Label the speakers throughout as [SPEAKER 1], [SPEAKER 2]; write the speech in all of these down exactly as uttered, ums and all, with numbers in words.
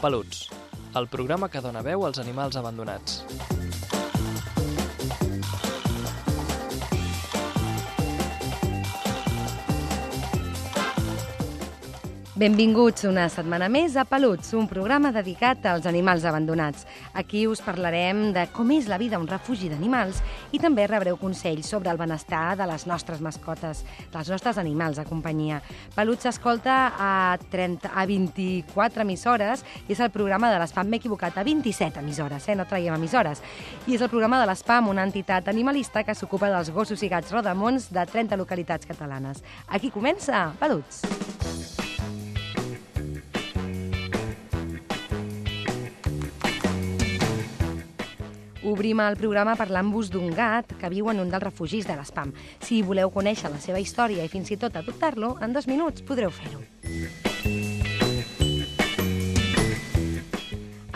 [SPEAKER 1] Peluts, el programa que dona veu als animals abandonats.
[SPEAKER 2] Benvinguts una setmana més a Peluts, un programa dedicat als animals abandonats. Aquí us parlarem de com és la vida a un refugi d'animals i també rebreu consells sobre el benestar de les nostres mascotes, dels nostres animals de companyia. Peluts s'escolta a, trenta, a vint-i-quatre emissores i és el programa de l'Espam, m'he equivocat, a vint-i-set emissores, eh? No traiem emissores. I és el programa de l'Espam, una entitat animalista que s'ocupa dels gossos i gats rodamons de trenta localitats catalanes. Aquí comença Peluts. Obrim el programa parlant-vos d'un gat que viu en un dels refugis de l'Espam. Si voleu conèixer la seva història i fins i tot adoptar-lo, en dos minuts podreu fer-ho.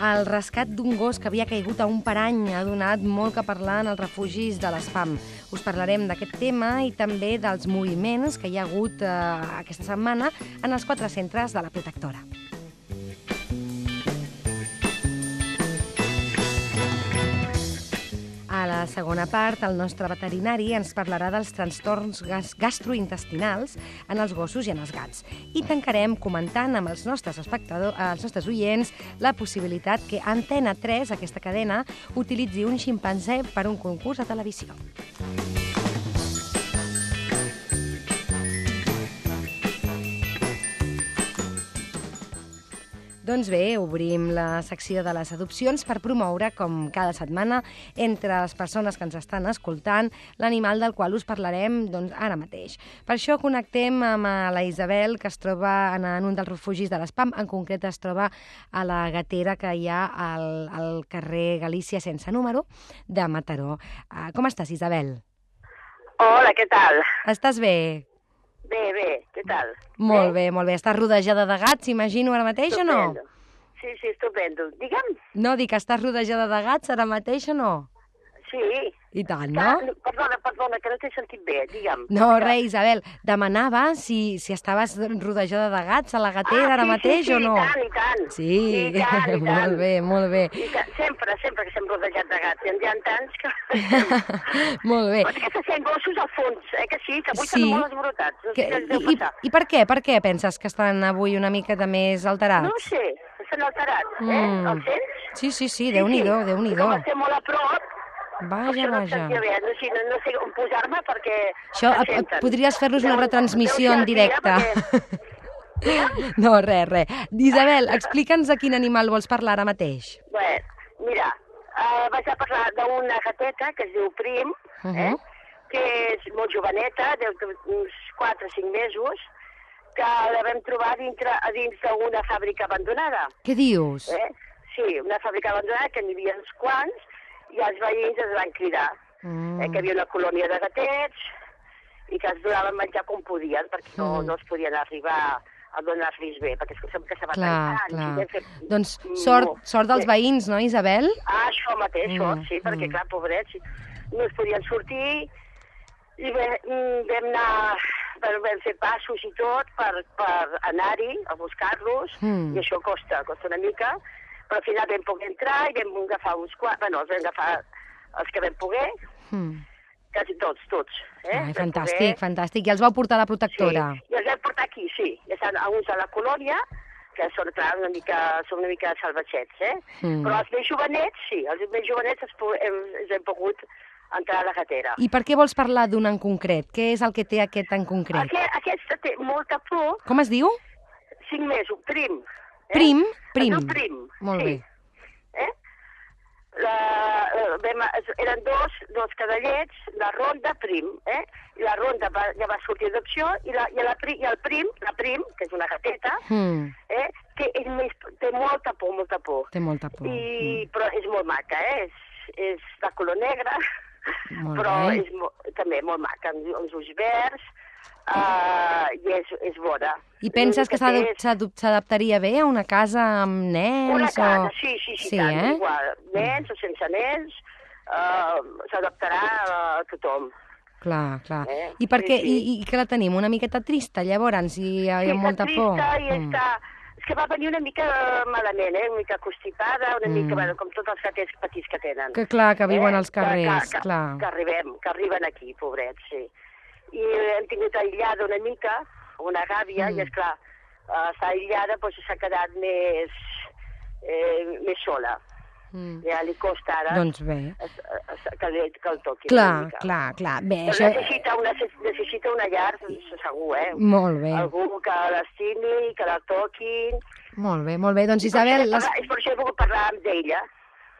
[SPEAKER 2] El rescat d'un gos que havia caigut a un parany ha donat molt que parlar en els refugis de l'Espam. Us parlarem d'aquest tema i també dels moviments que hi ha hagut eh, aquesta setmana en els quatre centres de la protectora. A la segona part, el nostre veterinari ens parlarà dels trastorns gastrointestinals en els gossos i en els gats. I tancarem comentant amb els nostres espectadors, els nostres oients, la possibilitat que Antena tres, aquesta cadena, utilitzi un ximpanzé per un concurs a televisió. Doncs bé, obrim la secció de les adopcions per promoure, com cada setmana, entre les persones que ens estan escoltant, l'animal del qual us parlarem doncs, ara mateix. Per això connectem amb la Isabel, que es troba en, en un dels refugis de l'Espam. En concret es troba a la gatera que hi ha al, al carrer Galícia sense número de Mataró. Uh, com estàs, Isabel?
[SPEAKER 3] Hola, què tal?
[SPEAKER 2] Estàs bé?
[SPEAKER 3] Bé, bé, què tal?
[SPEAKER 2] Molt bé, molt bé. Estàs rodejada de gats, imagino, ara mateix
[SPEAKER 3] estupendo.
[SPEAKER 2] O no?
[SPEAKER 3] Sí, sí, estupendo. Digue'm.
[SPEAKER 2] No, dic que estàs rodejada de gats ara mateix o no?
[SPEAKER 3] Sí.
[SPEAKER 2] I tant, no?
[SPEAKER 3] Que, perdona, perdona, que no t'he sentit bé, digue'm.
[SPEAKER 2] No,
[SPEAKER 3] que...
[SPEAKER 2] res, Isabel, demanava si, si estaves rodejada de gats a la gatera
[SPEAKER 3] ah,
[SPEAKER 2] ara
[SPEAKER 3] sí,
[SPEAKER 2] mateix
[SPEAKER 3] sí, sí,
[SPEAKER 2] o no?
[SPEAKER 3] i tant, i tant.
[SPEAKER 2] Sí,
[SPEAKER 3] I tant, i tant.
[SPEAKER 2] molt bé, molt bé.
[SPEAKER 3] I tant. Sempre, sempre que estem rodejats de gats. Hi ha tants que...
[SPEAKER 2] molt bé.
[SPEAKER 3] Però és que se sent gossos al fons, eh, que sí, que avui
[SPEAKER 2] sí.
[SPEAKER 3] estan molt esbrotats. No sé
[SPEAKER 2] que,
[SPEAKER 3] què els deu
[SPEAKER 2] i,
[SPEAKER 3] passar.
[SPEAKER 2] I per què? Per què penses que estan avui una mica de més alterats?
[SPEAKER 3] No ho sé, estan alterats, eh?
[SPEAKER 2] Mm.
[SPEAKER 3] Els sents?
[SPEAKER 2] Sí, sí, sí, Déu-n'hi-do,
[SPEAKER 3] sí.
[SPEAKER 2] Déu-n'hi-do.
[SPEAKER 3] Com estem molt a prop,
[SPEAKER 2] Vaja,
[SPEAKER 3] això no
[SPEAKER 2] vaja.
[SPEAKER 3] em sentia bé, no, sí, no, no sé on posar-me perquè...
[SPEAKER 2] Això, podries fer-nos una retransmissió en directe.
[SPEAKER 3] Perquè...
[SPEAKER 2] No, res, res. Isabel, explica'ns de quin animal vols parlar ara mateix.
[SPEAKER 3] Bé, mira, uh, vaig a parlar d'una gateta que es diu Prim, uh -huh. eh, que és molt joveneta, deu uns quatre o cinc mesos, que la vam trobar dintre, a dins d'una fàbrica abandonada.
[SPEAKER 2] Què dius?
[SPEAKER 3] Eh? Sí, una fàbrica abandonada que n'hi havia uns quants, i els veïns es van cridar, mm. eh, que hi havia una colònia de gatets i que es donaven menjar com podien, perquè no, mm. no es podien arribar a donar-los bé, perquè sempre que se va tancant.
[SPEAKER 2] Clar,
[SPEAKER 3] Fet...
[SPEAKER 2] Doncs sort, sort dels veïns, no, Isabel?
[SPEAKER 3] Ah, això mateix, mm. sort, sí, perquè
[SPEAKER 2] mm.
[SPEAKER 3] clar, pobrets, no es podien sortir i bé, vam anar, vam fer passos i tot per, per anar-hi a buscar-los, mm. i això costa, costa una mica, però al final vam poder entrar i vam agafar uns quants, bueno, els vam agafar els que vam poder, mm. quasi tots, tots. Eh?
[SPEAKER 2] Ai, fantàstic, poder... fantàstic. I els vau portar a la protectora?
[SPEAKER 3] Sí, i els vam portar aquí, sí. Ja estan uns a la colònia, que són, clar, una mica, són una mica salvatgets, eh? Mm. Però els més jovenets, sí, els més jovenets els, hem, els hem pogut entrar a la gatera.
[SPEAKER 2] I per què vols parlar d'un en concret? Què és el que té aquest en concret?
[SPEAKER 3] Aquest, aquesta té molta por.
[SPEAKER 2] Com es diu?
[SPEAKER 3] Cinc mesos, Prim. Eh?
[SPEAKER 2] Prim? Prim.
[SPEAKER 3] Es diu Prim.
[SPEAKER 2] Molt
[SPEAKER 3] sí.
[SPEAKER 2] bé.
[SPEAKER 3] Eh? La, vam, eren dos, dos cadallets, la ronda Prim, eh? I la ronda va, ja va sortir d'adopció i, la, i, la, i el Prim, la Prim, que és una gateta, mm. eh? que és més, té molta por, molta por.
[SPEAKER 2] Té molta por.
[SPEAKER 3] I, mm. Però és molt maca, eh? És, és de color negre,
[SPEAKER 2] molt
[SPEAKER 3] però
[SPEAKER 2] bé.
[SPEAKER 3] és mo, també molt maca, amb els ulls verds, Uh, i és, és bona.
[SPEAKER 2] I penses que s'adaptaria bé a una casa amb nens?
[SPEAKER 3] Una casa,
[SPEAKER 2] o...
[SPEAKER 3] sí, sí, sí,
[SPEAKER 2] sí
[SPEAKER 3] tant,
[SPEAKER 2] eh?
[SPEAKER 3] igual. Nens o sense nens, uh, s'adaptarà a tothom.
[SPEAKER 2] Clar, clar.
[SPEAKER 3] Eh?
[SPEAKER 2] I per què?
[SPEAKER 3] Sí, sí.
[SPEAKER 2] I, I que la tenim una miqueta trista, llavors, i hi ha,
[SPEAKER 3] sí,
[SPEAKER 2] hi ha molta
[SPEAKER 3] trista
[SPEAKER 2] por?
[SPEAKER 3] I mm. està... És que va venir una mica malament, eh? Una mica constipada, una
[SPEAKER 2] Mm.
[SPEAKER 3] mica, bueno, com tots els gatets petits que tenen.
[SPEAKER 2] Que clar, que viuen
[SPEAKER 3] Eh?
[SPEAKER 2] als carrers,
[SPEAKER 3] que, que,
[SPEAKER 2] clar.
[SPEAKER 3] Que arribem, que arriben aquí, pobrets, sí. I hem tingut aïllada una mica, una gàbia,
[SPEAKER 2] Mm.
[SPEAKER 3] i esclar, uh, està aïllada, doncs s'ha quedat més, eh, més sola.
[SPEAKER 2] Mm.
[SPEAKER 3] Ja li costa ara
[SPEAKER 2] Doncs bé.
[SPEAKER 3] es, es, que, li, que el toqui una
[SPEAKER 2] Clar,
[SPEAKER 3] mica.
[SPEAKER 2] clar, clar. Bé,
[SPEAKER 3] Però
[SPEAKER 2] això...
[SPEAKER 3] necessita, una, necessita una llar, segur, eh?
[SPEAKER 2] Molt bé,
[SPEAKER 3] Algú que l'estimi, que la toqui.
[SPEAKER 2] molt bé, molt bé. Doncs
[SPEAKER 3] I per
[SPEAKER 2] Isabel...
[SPEAKER 3] això he
[SPEAKER 2] Les...
[SPEAKER 3] parlat- És per això he volgut parlar amb ella.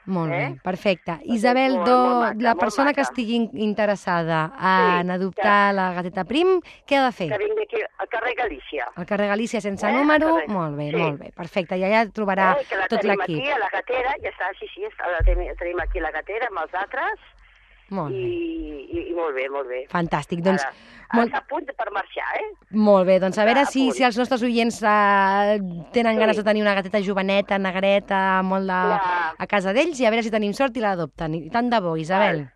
[SPEAKER 2] Molt bé,
[SPEAKER 3] Eh?
[SPEAKER 2] perfecte.
[SPEAKER 3] Perquè
[SPEAKER 2] Isabel,
[SPEAKER 3] és molt,
[SPEAKER 2] do,
[SPEAKER 3] molt maca,
[SPEAKER 2] la
[SPEAKER 3] molt
[SPEAKER 2] persona que
[SPEAKER 3] maca.
[SPEAKER 2] estigui in- interessada en
[SPEAKER 3] Sí,
[SPEAKER 2] adoptar la gateta Prim, què ha de fer?
[SPEAKER 3] Que vingui aquí al carrer Galícia.
[SPEAKER 2] Al carrer Galícia sense
[SPEAKER 3] Eh,
[SPEAKER 2] número?
[SPEAKER 3] correcte.
[SPEAKER 2] Molt bé,
[SPEAKER 3] Sí.
[SPEAKER 2] molt bé, perfecte. I allà trobarà
[SPEAKER 3] eh? Que la
[SPEAKER 2] tot
[SPEAKER 3] tenim
[SPEAKER 2] l'equip.
[SPEAKER 3] aquí a la gatera, ja està, sí, sí, està, la tenim, tenim aquí a la gatera amb els altres.
[SPEAKER 2] Molt
[SPEAKER 3] I,
[SPEAKER 2] bé,
[SPEAKER 3] i, i molt bé, molt bé.
[SPEAKER 2] fantàstic. Doncs,
[SPEAKER 3] Ara, ara
[SPEAKER 2] molt,
[SPEAKER 3] està a punt per marxar, eh?
[SPEAKER 2] molt bé, doncs a veure
[SPEAKER 3] a
[SPEAKER 2] si,
[SPEAKER 3] punt.
[SPEAKER 2] si els nostres oients eh, tenen
[SPEAKER 3] Sí.
[SPEAKER 2] ganes de tenir una gateta joveneta, negreta, molt de,
[SPEAKER 3] Clar.
[SPEAKER 2] a casa d'ells, i a veure si tenim sort i l'adopten. I tant de bo, Isabel.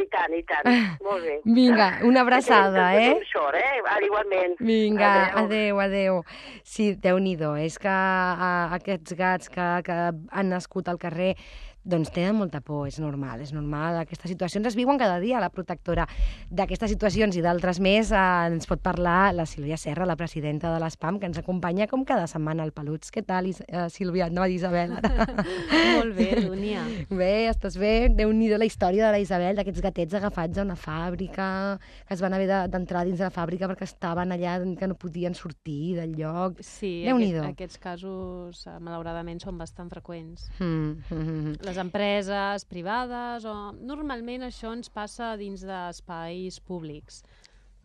[SPEAKER 3] I tant, i tant. Molt bé.
[SPEAKER 2] Vinga, una abraçada,
[SPEAKER 3] Que tenim-
[SPEAKER 2] eh?
[SPEAKER 3] que tenim sort, eh? Ara, igualment.
[SPEAKER 2] Vinga,
[SPEAKER 3] Adéu.
[SPEAKER 2] adeu, adeu. Sí, Déu-n'hi-do, és que a, aquests gats que, que han nascut al carrer doncs tenen molta por, és normal, és normal. Aquestes situacions es viuen cada dia. La protectora d'aquestes situacions i d'altres més eh, ens pot parlar la Sílvia Serra, la presidenta de l'ESPAM, que ens acompanya com cada setmana al Peluts. Què tal, Is eh, Sílvia? No, Isabel, ara.
[SPEAKER 4] Molt bé, Dúnia.
[SPEAKER 2] Bé, estàs bé? Déu-n'hi-do la història de la Isabel, d'aquests gatets agafats a una fàbrica, que es van haver de- d'entrar dins de la fàbrica perquè estaven allà, que no podien sortir del lloc.
[SPEAKER 4] Sí,
[SPEAKER 2] Déu-n'hi-do.
[SPEAKER 4] aquest, aquests casos, eh, malauradament, són bastant freqüents.
[SPEAKER 2] Mm, mm, mm.
[SPEAKER 4] Les empreses privades, o normalment això ens passa dins d'espais públics.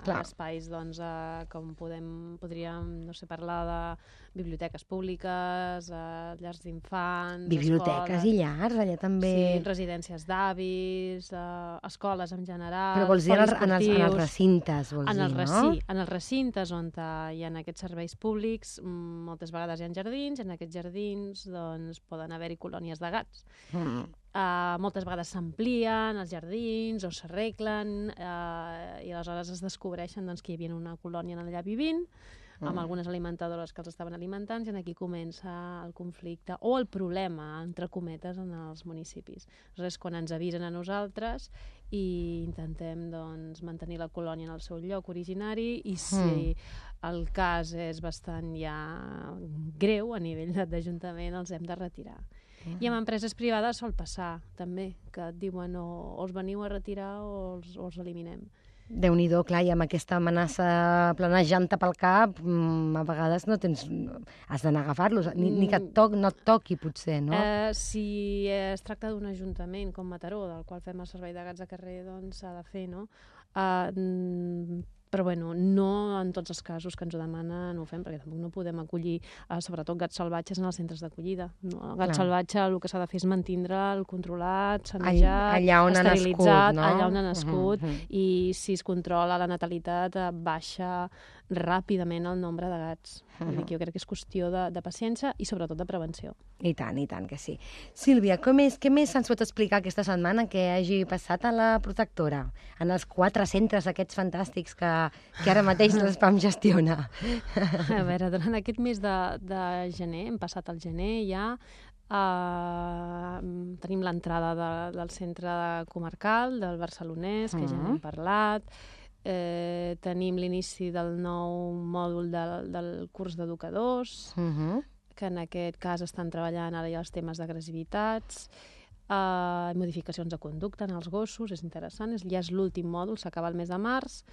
[SPEAKER 2] Clar.
[SPEAKER 4] Espais, doncs, eh, com podem, podríem, no sé, parlar de biblioteques públiques, eh, llars d'infants,
[SPEAKER 2] Biblioteques
[SPEAKER 4] escoles,
[SPEAKER 2] i llars, allà també.
[SPEAKER 4] sí, residències d'avis, eh, escoles en general,
[SPEAKER 2] Però vols dir en els, en els, en els
[SPEAKER 4] poliesportius.
[SPEAKER 2] recintes, vols
[SPEAKER 4] En
[SPEAKER 2] dir,
[SPEAKER 4] els,
[SPEAKER 2] no?
[SPEAKER 4] reci, en els recintes on eh, hi ha aquests serveis públics, mm, moltes vegades hi ha jardins, i en aquests jardins doncs, poden haver-hi colònies de gats.
[SPEAKER 2] Mm.
[SPEAKER 4] Uh, moltes vegades s'amplien els jardins o s'arreglen uh, i aleshores es descobreixen doncs, que hi havia una colònia allà vivint, amb
[SPEAKER 2] Mm.
[SPEAKER 4] algunes alimentadores que els estaven alimentant, i aquí comença el conflicte o el problema, entre cometes, en els municipis. Aleshores, quan ens avisen a nosaltres i intentem doncs, mantenir la colònia en el seu lloc originari, i si el cas és bastant ja greu a nivell d'Ajuntament, els hem de retirar. I amb empreses privades sol passar, també, que et diuen o, o els veniu a retirar o els, o els eliminem.
[SPEAKER 2] Déu-n'hi-do, clar, i amb aquesta amenaça planejant-te pel cap, mm, a vegades no tens... has d'anar a agafar-los, ni, ni que et toc, no et toqui, potser, no?
[SPEAKER 4] Eh, si es tracta d'un ajuntament com Mataró, del qual fem el servei de gats de carrer, doncs s'ha de fer, no? Eh, mm, però bueno, no en tots els casos que ens ho demanen ho fem, perquè tampoc no podem acollir, eh, sobretot gats salvatges, en els centres d'acollida. No? El gat
[SPEAKER 2] Clar.
[SPEAKER 4] salvatge el que s'ha de fer és mantindre'l controlat, sanejat,
[SPEAKER 2] allà on ha
[SPEAKER 4] esterilitzat,
[SPEAKER 2] nascut, no?
[SPEAKER 4] allà on ha nascut,
[SPEAKER 2] Mhm, mhm.
[SPEAKER 4] i si es controla la natalitat, eh, baixa ràpidament el nombre de gats. Vull dir que jo crec que és qüestió de, de paciència i sobretot de prevenció.
[SPEAKER 2] I tant, i tant que sí. Sílvia, com és, què més ens pot explicar aquesta setmana que hagi passat a la protectora? En els quatre centres aquests fantàstics que, que ara mateix l'ESPAM gestiona.
[SPEAKER 4] A veure, durant aquest mes de, de gener, hem passat al gener ja, uh, tenim l'entrada de, del centre comarcal, del barcelonès, que ja n'hem parlat, eh, tenim l'inici del nou mòdul del, del curs d'educadors,
[SPEAKER 2] Uh -huh.
[SPEAKER 4] que en aquest cas estan treballant ara ja els temes d'agressivitats, uh, modificacions de conducta en els gossos, és interessant, és, ja és l'últim mòdul, s'acaba el mes de març.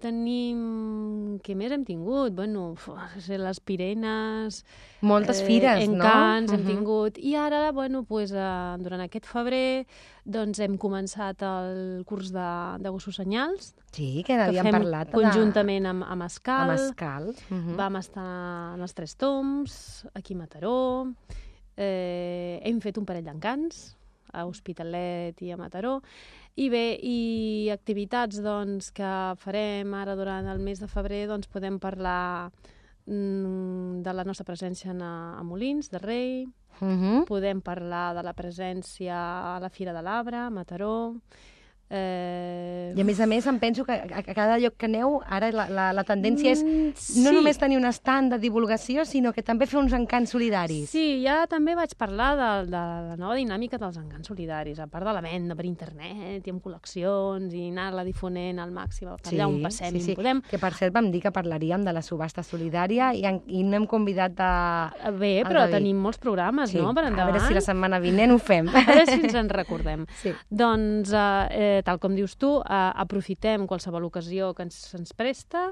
[SPEAKER 4] Tenim... Què més hem tingut? Bueno, uf, les pirenes...
[SPEAKER 2] Moltes fires, no?
[SPEAKER 4] Encants, hem
[SPEAKER 2] Mhm.
[SPEAKER 4] tingut. I ara, bueno, pues, uh, durant aquest febrer, doncs hem començat el curs de, de gossos senyals,
[SPEAKER 2] Sí, que
[SPEAKER 4] que
[SPEAKER 2] n'havíem
[SPEAKER 4] fem
[SPEAKER 2] parlat.
[SPEAKER 4] conjuntament amb, amb Escal.
[SPEAKER 2] Amb Escal. Uh -huh.
[SPEAKER 4] Vam estar en els Tres Tombs, aquí a Mataró, eh, hem fet un parell d'encants, a Hospitalet i a Mataró, i bé, i activitats doncs, que farem ara durant el mes de febrer, doncs podem parlar mm, de la nostra presència a, a Molins de Rei,
[SPEAKER 2] Uh -huh.
[SPEAKER 4] podem parlar de la presència a la Fira de l'Arbre, a Mataró, Eh...
[SPEAKER 2] I a més a més em penso que a cada lloc que aneu ara la, la, la tendència és
[SPEAKER 4] Mm,
[SPEAKER 2] no
[SPEAKER 4] sí.
[SPEAKER 2] només tenir un estand de divulgació, sinó que també fer uns encants solidaris.
[SPEAKER 4] Sí, ja també vaig parlar de, de la nova dinàmica dels encants solidaris, a part de la venda per internet i amb col·leccions i anar-la difonent al màxim, per allà on passem
[SPEAKER 2] sí,
[SPEAKER 4] i
[SPEAKER 2] sí.
[SPEAKER 4] on podem.
[SPEAKER 2] Que per cert vam dir que parlaríem de la subhasta solidària i, en, i no hem convidat a...
[SPEAKER 4] Bé,
[SPEAKER 2] al
[SPEAKER 4] però
[SPEAKER 2] David.
[SPEAKER 4] tenim molts programes,
[SPEAKER 2] Sí,
[SPEAKER 4] no?, per
[SPEAKER 2] a
[SPEAKER 4] endavant.
[SPEAKER 2] veure si la setmana vinent ho fem.
[SPEAKER 4] A veure si ens en recordem.
[SPEAKER 2] Sí.
[SPEAKER 4] Doncs, eh, eh, tal com dius tu, eh, aprofitem qualsevol ocasió que ens, ens presta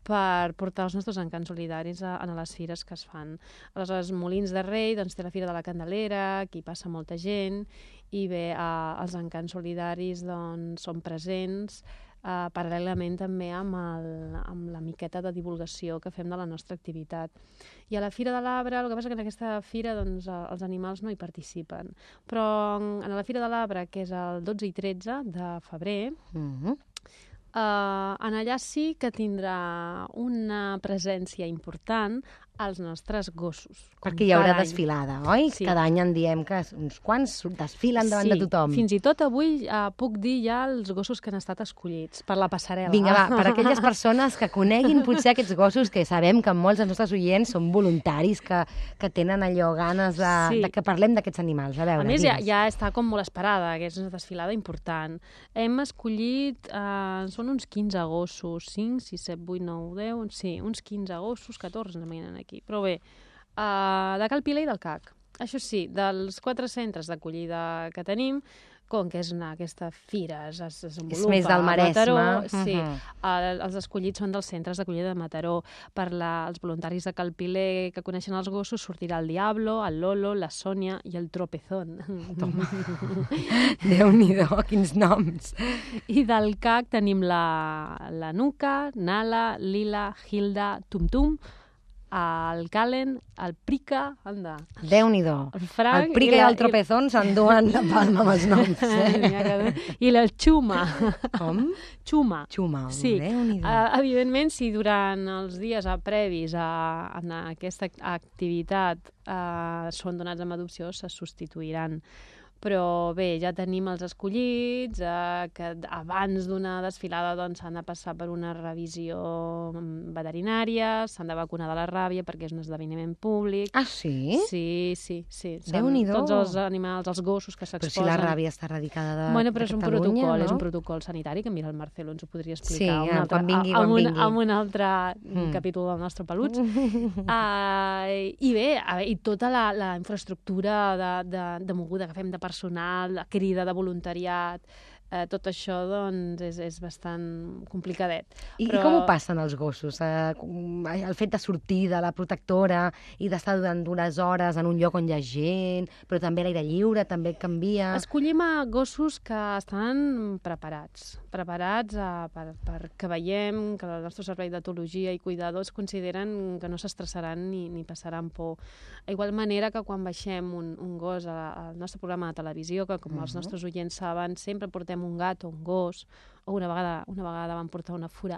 [SPEAKER 4] per portar els nostres encants solidaris a, a les fires que es fan. Aleshores, Molins de Rei doncs, té la Fira de la Candelera, aquí passa molta gent, i bé, eh, els encants solidaris doncs, són presents, eh, paral·lelament també amb, el, amb la miqueta de divulgació que fem de la nostra activitat. I a la Fira de l'Arbre, el que passa que en aquesta fira doncs, els animals no hi participen, però en la Fira de l'Arbre, que és el dotze i tretze de febrer,
[SPEAKER 2] Mm-hmm.
[SPEAKER 4] Uh, en allà sí que tindrà una presència important als nostres gossos.
[SPEAKER 2] Perquè hi haurà
[SPEAKER 4] cada any.
[SPEAKER 2] desfilada, oi?
[SPEAKER 4] Sí.
[SPEAKER 2] Cada any en diem que uns quants desfilen davant
[SPEAKER 4] Sí,
[SPEAKER 2] de tothom.
[SPEAKER 4] fins i tot avui uh, puc dir ja els gossos que han estat escollits per la passarel·la.
[SPEAKER 2] Vinga, va, per aquelles persones que coneguin potser aquests gossos, que sabem que molts dels nostres oients són voluntaris, que, que tenen allò ganes de,
[SPEAKER 4] Sí.
[SPEAKER 2] de que parlem d'aquests animals. A veure,
[SPEAKER 4] A més, ja,
[SPEAKER 2] digues.
[SPEAKER 4] ja està com molt esperada, que és una desfilada important. Hem escollit, eh, són uns quinze gossos, cinc, sis, set, vuit, nou, deu, sí, uns quinze gossos, catorze no venen aquí. Però bé, eh, de Cal Pilar i del C A C. Això sí, dels quatre centres d'acollida que tenim, com que és una, aquesta fira es, es desenvolupa
[SPEAKER 2] És més del
[SPEAKER 4] a
[SPEAKER 2] Maresme.
[SPEAKER 4] Mataró, sí,
[SPEAKER 2] Mhm.
[SPEAKER 4] el, els escollits són dels centres d'acollida de Mataró. Per la, els voluntaris de Cal Pilar que coneixen els gossos sortirà el Diablo, el Lolo, la Sònia i el Tropezón.
[SPEAKER 2] Déu-n'hi-do, quins noms.
[SPEAKER 4] I del C A C tenim la, la Nuca, Nala, Lila, Hilda, Tum Tum, el Calen, el Prica, anda,
[SPEAKER 2] Déu-n'hi-do.
[SPEAKER 4] el Frank...
[SPEAKER 2] El Prica i,
[SPEAKER 4] la-
[SPEAKER 2] el Tropezón s'enduen la palma amb els noms.
[SPEAKER 4] N'hi ha
[SPEAKER 2] Eh?
[SPEAKER 4] que- I la Xuma.
[SPEAKER 2] Com?
[SPEAKER 4] Xuma.
[SPEAKER 2] Xuma,
[SPEAKER 4] Sí,
[SPEAKER 2] Déu-n'hi-do.
[SPEAKER 4] uh, evidentment, si durant els dies uh, previs a, a aquesta activitat uh, són donats amb adopció, se substituiran. Però bé, ja tenim els escollits, eh, que abans d'una desfilada doncs, s'han de passar per una revisió veterinària, s'han de vacunar de la ràbia perquè és un esdeveniment públic.
[SPEAKER 2] Ah, sí?
[SPEAKER 4] Sí, sí, sí. Són
[SPEAKER 2] Déu-n'hi-do.
[SPEAKER 4] tots els animals, els gossos que
[SPEAKER 2] Però
[SPEAKER 4] s'exposen.
[SPEAKER 2] si la ràbia està radicada de,
[SPEAKER 4] Bueno, però
[SPEAKER 2] de
[SPEAKER 4] és un
[SPEAKER 2] Catalunya,
[SPEAKER 4] protocol,
[SPEAKER 2] no?
[SPEAKER 4] és un protocol sanitari que mira el Marcelo ens ho podria explicar
[SPEAKER 2] Sí,
[SPEAKER 4] un
[SPEAKER 2] eh,
[SPEAKER 4] altre,
[SPEAKER 2] quan vingui,
[SPEAKER 4] a,
[SPEAKER 2] quan
[SPEAKER 4] un,
[SPEAKER 2] vingui.
[SPEAKER 4] en un altre
[SPEAKER 2] Mm.
[SPEAKER 4] capítol del nostre Peluts. uh, I bé, a veure, i tota la, la infraestructura de, de, de moguda que fem de personal, la crida de voluntariat, eh, tot això doncs, és, és bastant complicadet.
[SPEAKER 2] I,
[SPEAKER 4] Però-
[SPEAKER 2] I com ho passen els gossos? Eh, com- el fet de sortir de la protectora i d'estar durant unes hores en un lloc on hi ha gent, però també a l'aire lliure, també canvia...
[SPEAKER 4] Escollim a gossos que estan preparats, preparats a, per, per que veiem que el nostre servei d'etologia i cuidadors consideren que no s'estressaran ni, ni passaran por. A igual manera que quan baixem un, un gos a, al nostre programa de televisió, que com els nostres oients saben, sempre portem un gat o un gos, o una vegada, una vegada vam portar una fura.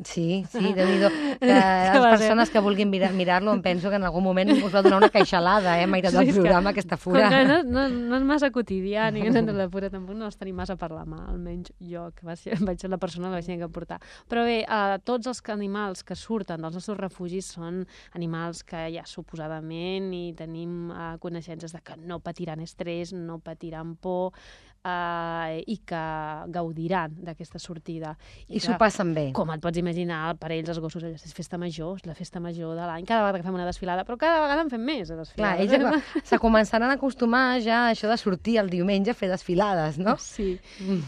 [SPEAKER 2] Sí, sí, Déu-n'hi-do. Que
[SPEAKER 4] Que
[SPEAKER 2] les
[SPEAKER 4] va ser-
[SPEAKER 2] persones que vulguin mirar- mirar-lo em penso que en algun moment us va donar una queixalada, eh, m'ha agradat
[SPEAKER 4] Sí,
[SPEAKER 2] el
[SPEAKER 4] és que-
[SPEAKER 2] programa, aquesta
[SPEAKER 4] Com
[SPEAKER 2] fura.
[SPEAKER 4] que no, no, no és massa quotidià, ni que la fura tampoc no els tenim massa per la mà, almenys jo, que va ser, vaig ser la persona que vaig tenir que portar. Però bé, eh, tots els animals que surten dels nostres refugis són animals que ja suposadament i tenim eh, coneixences de que no patiran estrès, no patiran por, eh, i que gaudiran d'aquesta sortida.
[SPEAKER 2] I s'ho passen bé.
[SPEAKER 4] Com et pots imaginar, per ells els gossos allò, és festa major, és la festa major de l'any, cada vegada que fem una desfilada, però cada vegada en fem més de
[SPEAKER 2] Clar,
[SPEAKER 4] desfilades.
[SPEAKER 2] ells se començaran a acostumar ja a això de sortir el diumenge a fer desfilades, no?
[SPEAKER 4] Sí,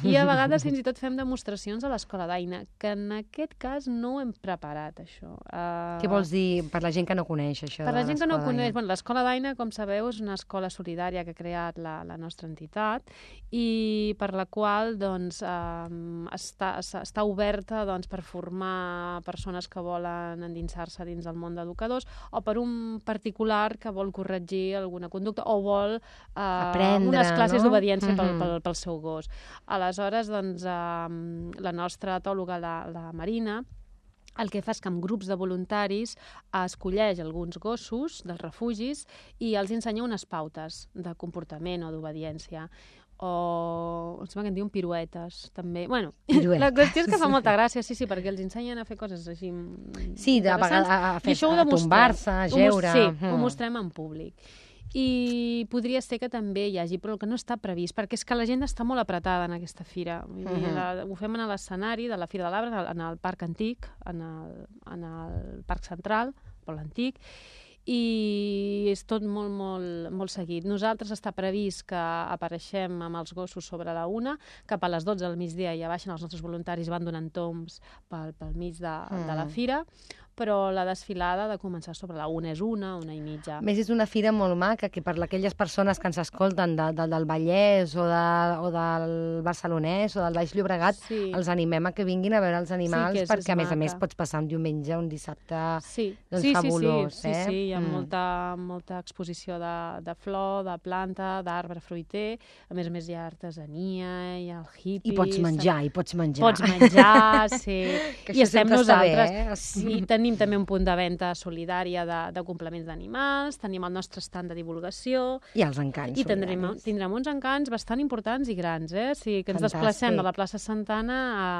[SPEAKER 4] i a vegades fins i tot fem demostracions a l'escola d'Aina, que en aquest cas no ho hem preparat, això. Uh,
[SPEAKER 2] Què vols dir per la gent que no coneix això?
[SPEAKER 4] Per la
[SPEAKER 2] de
[SPEAKER 4] gent que no ho
[SPEAKER 2] l'escola
[SPEAKER 4] coneix,
[SPEAKER 2] d'Aina?
[SPEAKER 4] bueno, l'escola d'Aina, com sabeu, és una escola solidària que ha creat la, la nostra entitat i per la qual doncs, um, està, està oberta doncs, per formar persones que volen endinsar-se dins del món d'educadors o per un particular que vol corregir alguna conducta o vol uh,
[SPEAKER 2] Aprendre,
[SPEAKER 4] unes classes
[SPEAKER 2] no?
[SPEAKER 4] d'obediència pel,
[SPEAKER 2] Mhm.
[SPEAKER 4] pel, pel seu gos. Aleshores, doncs, um, la nostra etòloga, la, la Marina, el que fa és que amb grups de voluntaris escolleix alguns gossos dels refugis i els ensenya unes pautes de comportament o d'obediència. o em sembla que en diuen piruetes, també. Bueno,
[SPEAKER 2] Piruetes.
[SPEAKER 4] La qüestió és que fa molta gràcia, sí, sí, perquè els ensenyen a fer coses així
[SPEAKER 2] Sí, de vegades a, fer, a tombar-se, a geure.
[SPEAKER 4] Sí, mm. ho mostrem en públic. I podria ser que també hi hagi, però el que no està previst, perquè és que la gent està molt apretada en aquesta fira. Vull dir, uh-huh. la, ho fem en l'escenari de la Fira de l'Arbre, en el Parc Antic, en el, en el Parc Central, per l'Antic, i és tot molt, molt, molt seguit. Nosaltres està previst que apareixem amb els gossos sobre la una, cap a les dotze del migdia ja baixen els nostres voluntaris, van donant tombs pel, pel mig de, mm. de la fira, però la desfilada ha de començar sobre la una, és una, una i mitja.
[SPEAKER 2] A més, és una fira molt maca, que per aquelles persones que ens escolten de, de, del Vallès o, de, o del Barcelonès o del Baix Llobregat, sí. els animem a que vinguin a veure els animals, sí, és, perquè és a més maca. a més pots passar un diumenge, un dissabte
[SPEAKER 4] sí.
[SPEAKER 2] doncs,
[SPEAKER 4] sí,
[SPEAKER 2] fabulós.
[SPEAKER 4] Sí, sí,
[SPEAKER 2] eh?
[SPEAKER 4] sí, sí, hi ha
[SPEAKER 2] mm.
[SPEAKER 4] molta, molta exposició de, de flor, de planta, d'arbre fruiter, a més a més hi ha artesania, hi ha el hippie...
[SPEAKER 2] I pots menjar, i pots menjar.
[SPEAKER 4] Pots menjar, sí.
[SPEAKER 2] Que
[SPEAKER 4] I estem nosaltres.
[SPEAKER 2] Bé, eh?
[SPEAKER 4] Sí, tenim també un punt de venda solidària de, de complements d'animals, tenim el nostre stand de divulgació...
[SPEAKER 2] I els encants
[SPEAKER 4] I tindrem, tindrem uns encants bastant importants i grans, eh? O sigui, que ens
[SPEAKER 2] Fantàstic.
[SPEAKER 4] desplacem de la plaça Santana a,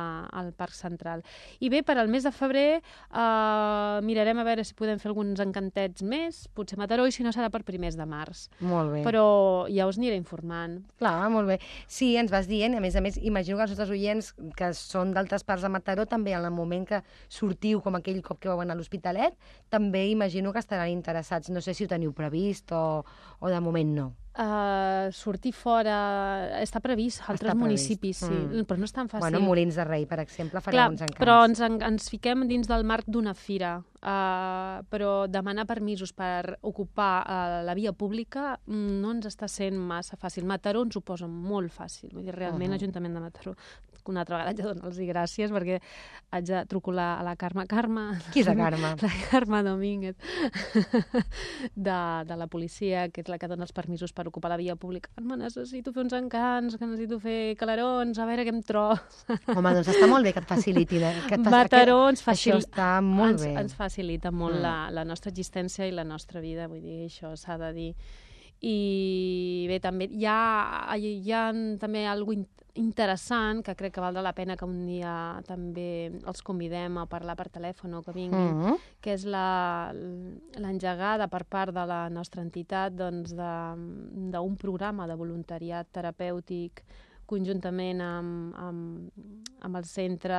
[SPEAKER 4] al Parc Central. I bé, per al mes de febrer eh, mirarem a veure si podem fer alguns encantets més, potser Mataró, i si no serà per primers de març.
[SPEAKER 2] Molt bé.
[SPEAKER 4] Però ja us aniré informant.
[SPEAKER 2] Clar, molt bé. Sí, ens vas dient, a més a més, imagino que els nostres oients que són d'altres parts de Mataró, també en el moment que sortiu, com aquell cop que vau anar a l'Hospitalet, també imagino que estaran interessats. No sé si ho teniu previst o, o de moment no.
[SPEAKER 4] Uh, sortir fora està previst a altres
[SPEAKER 2] està
[SPEAKER 4] municipis,
[SPEAKER 2] previst.
[SPEAKER 4] sí, mm. però no és tan fàcil.
[SPEAKER 2] Bueno, Molins de Rei, per exemple, farem
[SPEAKER 4] Clar,
[SPEAKER 2] uns encants.
[SPEAKER 4] Però ens, ens fiquem dins del marc d'una fira, uh, però demanar permisos per ocupar uh, la via pública no ens està sent massa fàcil. Mataró ens ho posa molt fàcil, vull dir, realment uh -huh. l'Ajuntament de Mataró, una altra vegada haig de donar-los gràcies perquè haig de trucar a la Carme. Carme...
[SPEAKER 2] Qui és la Carme?
[SPEAKER 4] La Carme Domínguez, de, de la policia, que és la que dona els permisos per ocupar la via pública. Carme, necessito fer uns encants, que necessito fer calarons, a veure què em trobo.
[SPEAKER 2] Home, doncs està molt bé que et facilitin. Eh? Que et
[SPEAKER 4] Mataró ens, facil...
[SPEAKER 2] Això està molt
[SPEAKER 4] ens,
[SPEAKER 2] bé.
[SPEAKER 4] ens facilita molt mm. la, la nostra existència i la nostra vida, vull dir, això s'ha de dir. I bé, també hi ha, hi ha també alguna cosa interessant, que crec que valdrà la pena que un dia també els convidem a parlar per telèfon o que vinguin, mm -hmm. que és l'engegada per part de la nostra entitat doncs, d'un programa de voluntariat terapèutic conjuntament amb, amb, amb el Centre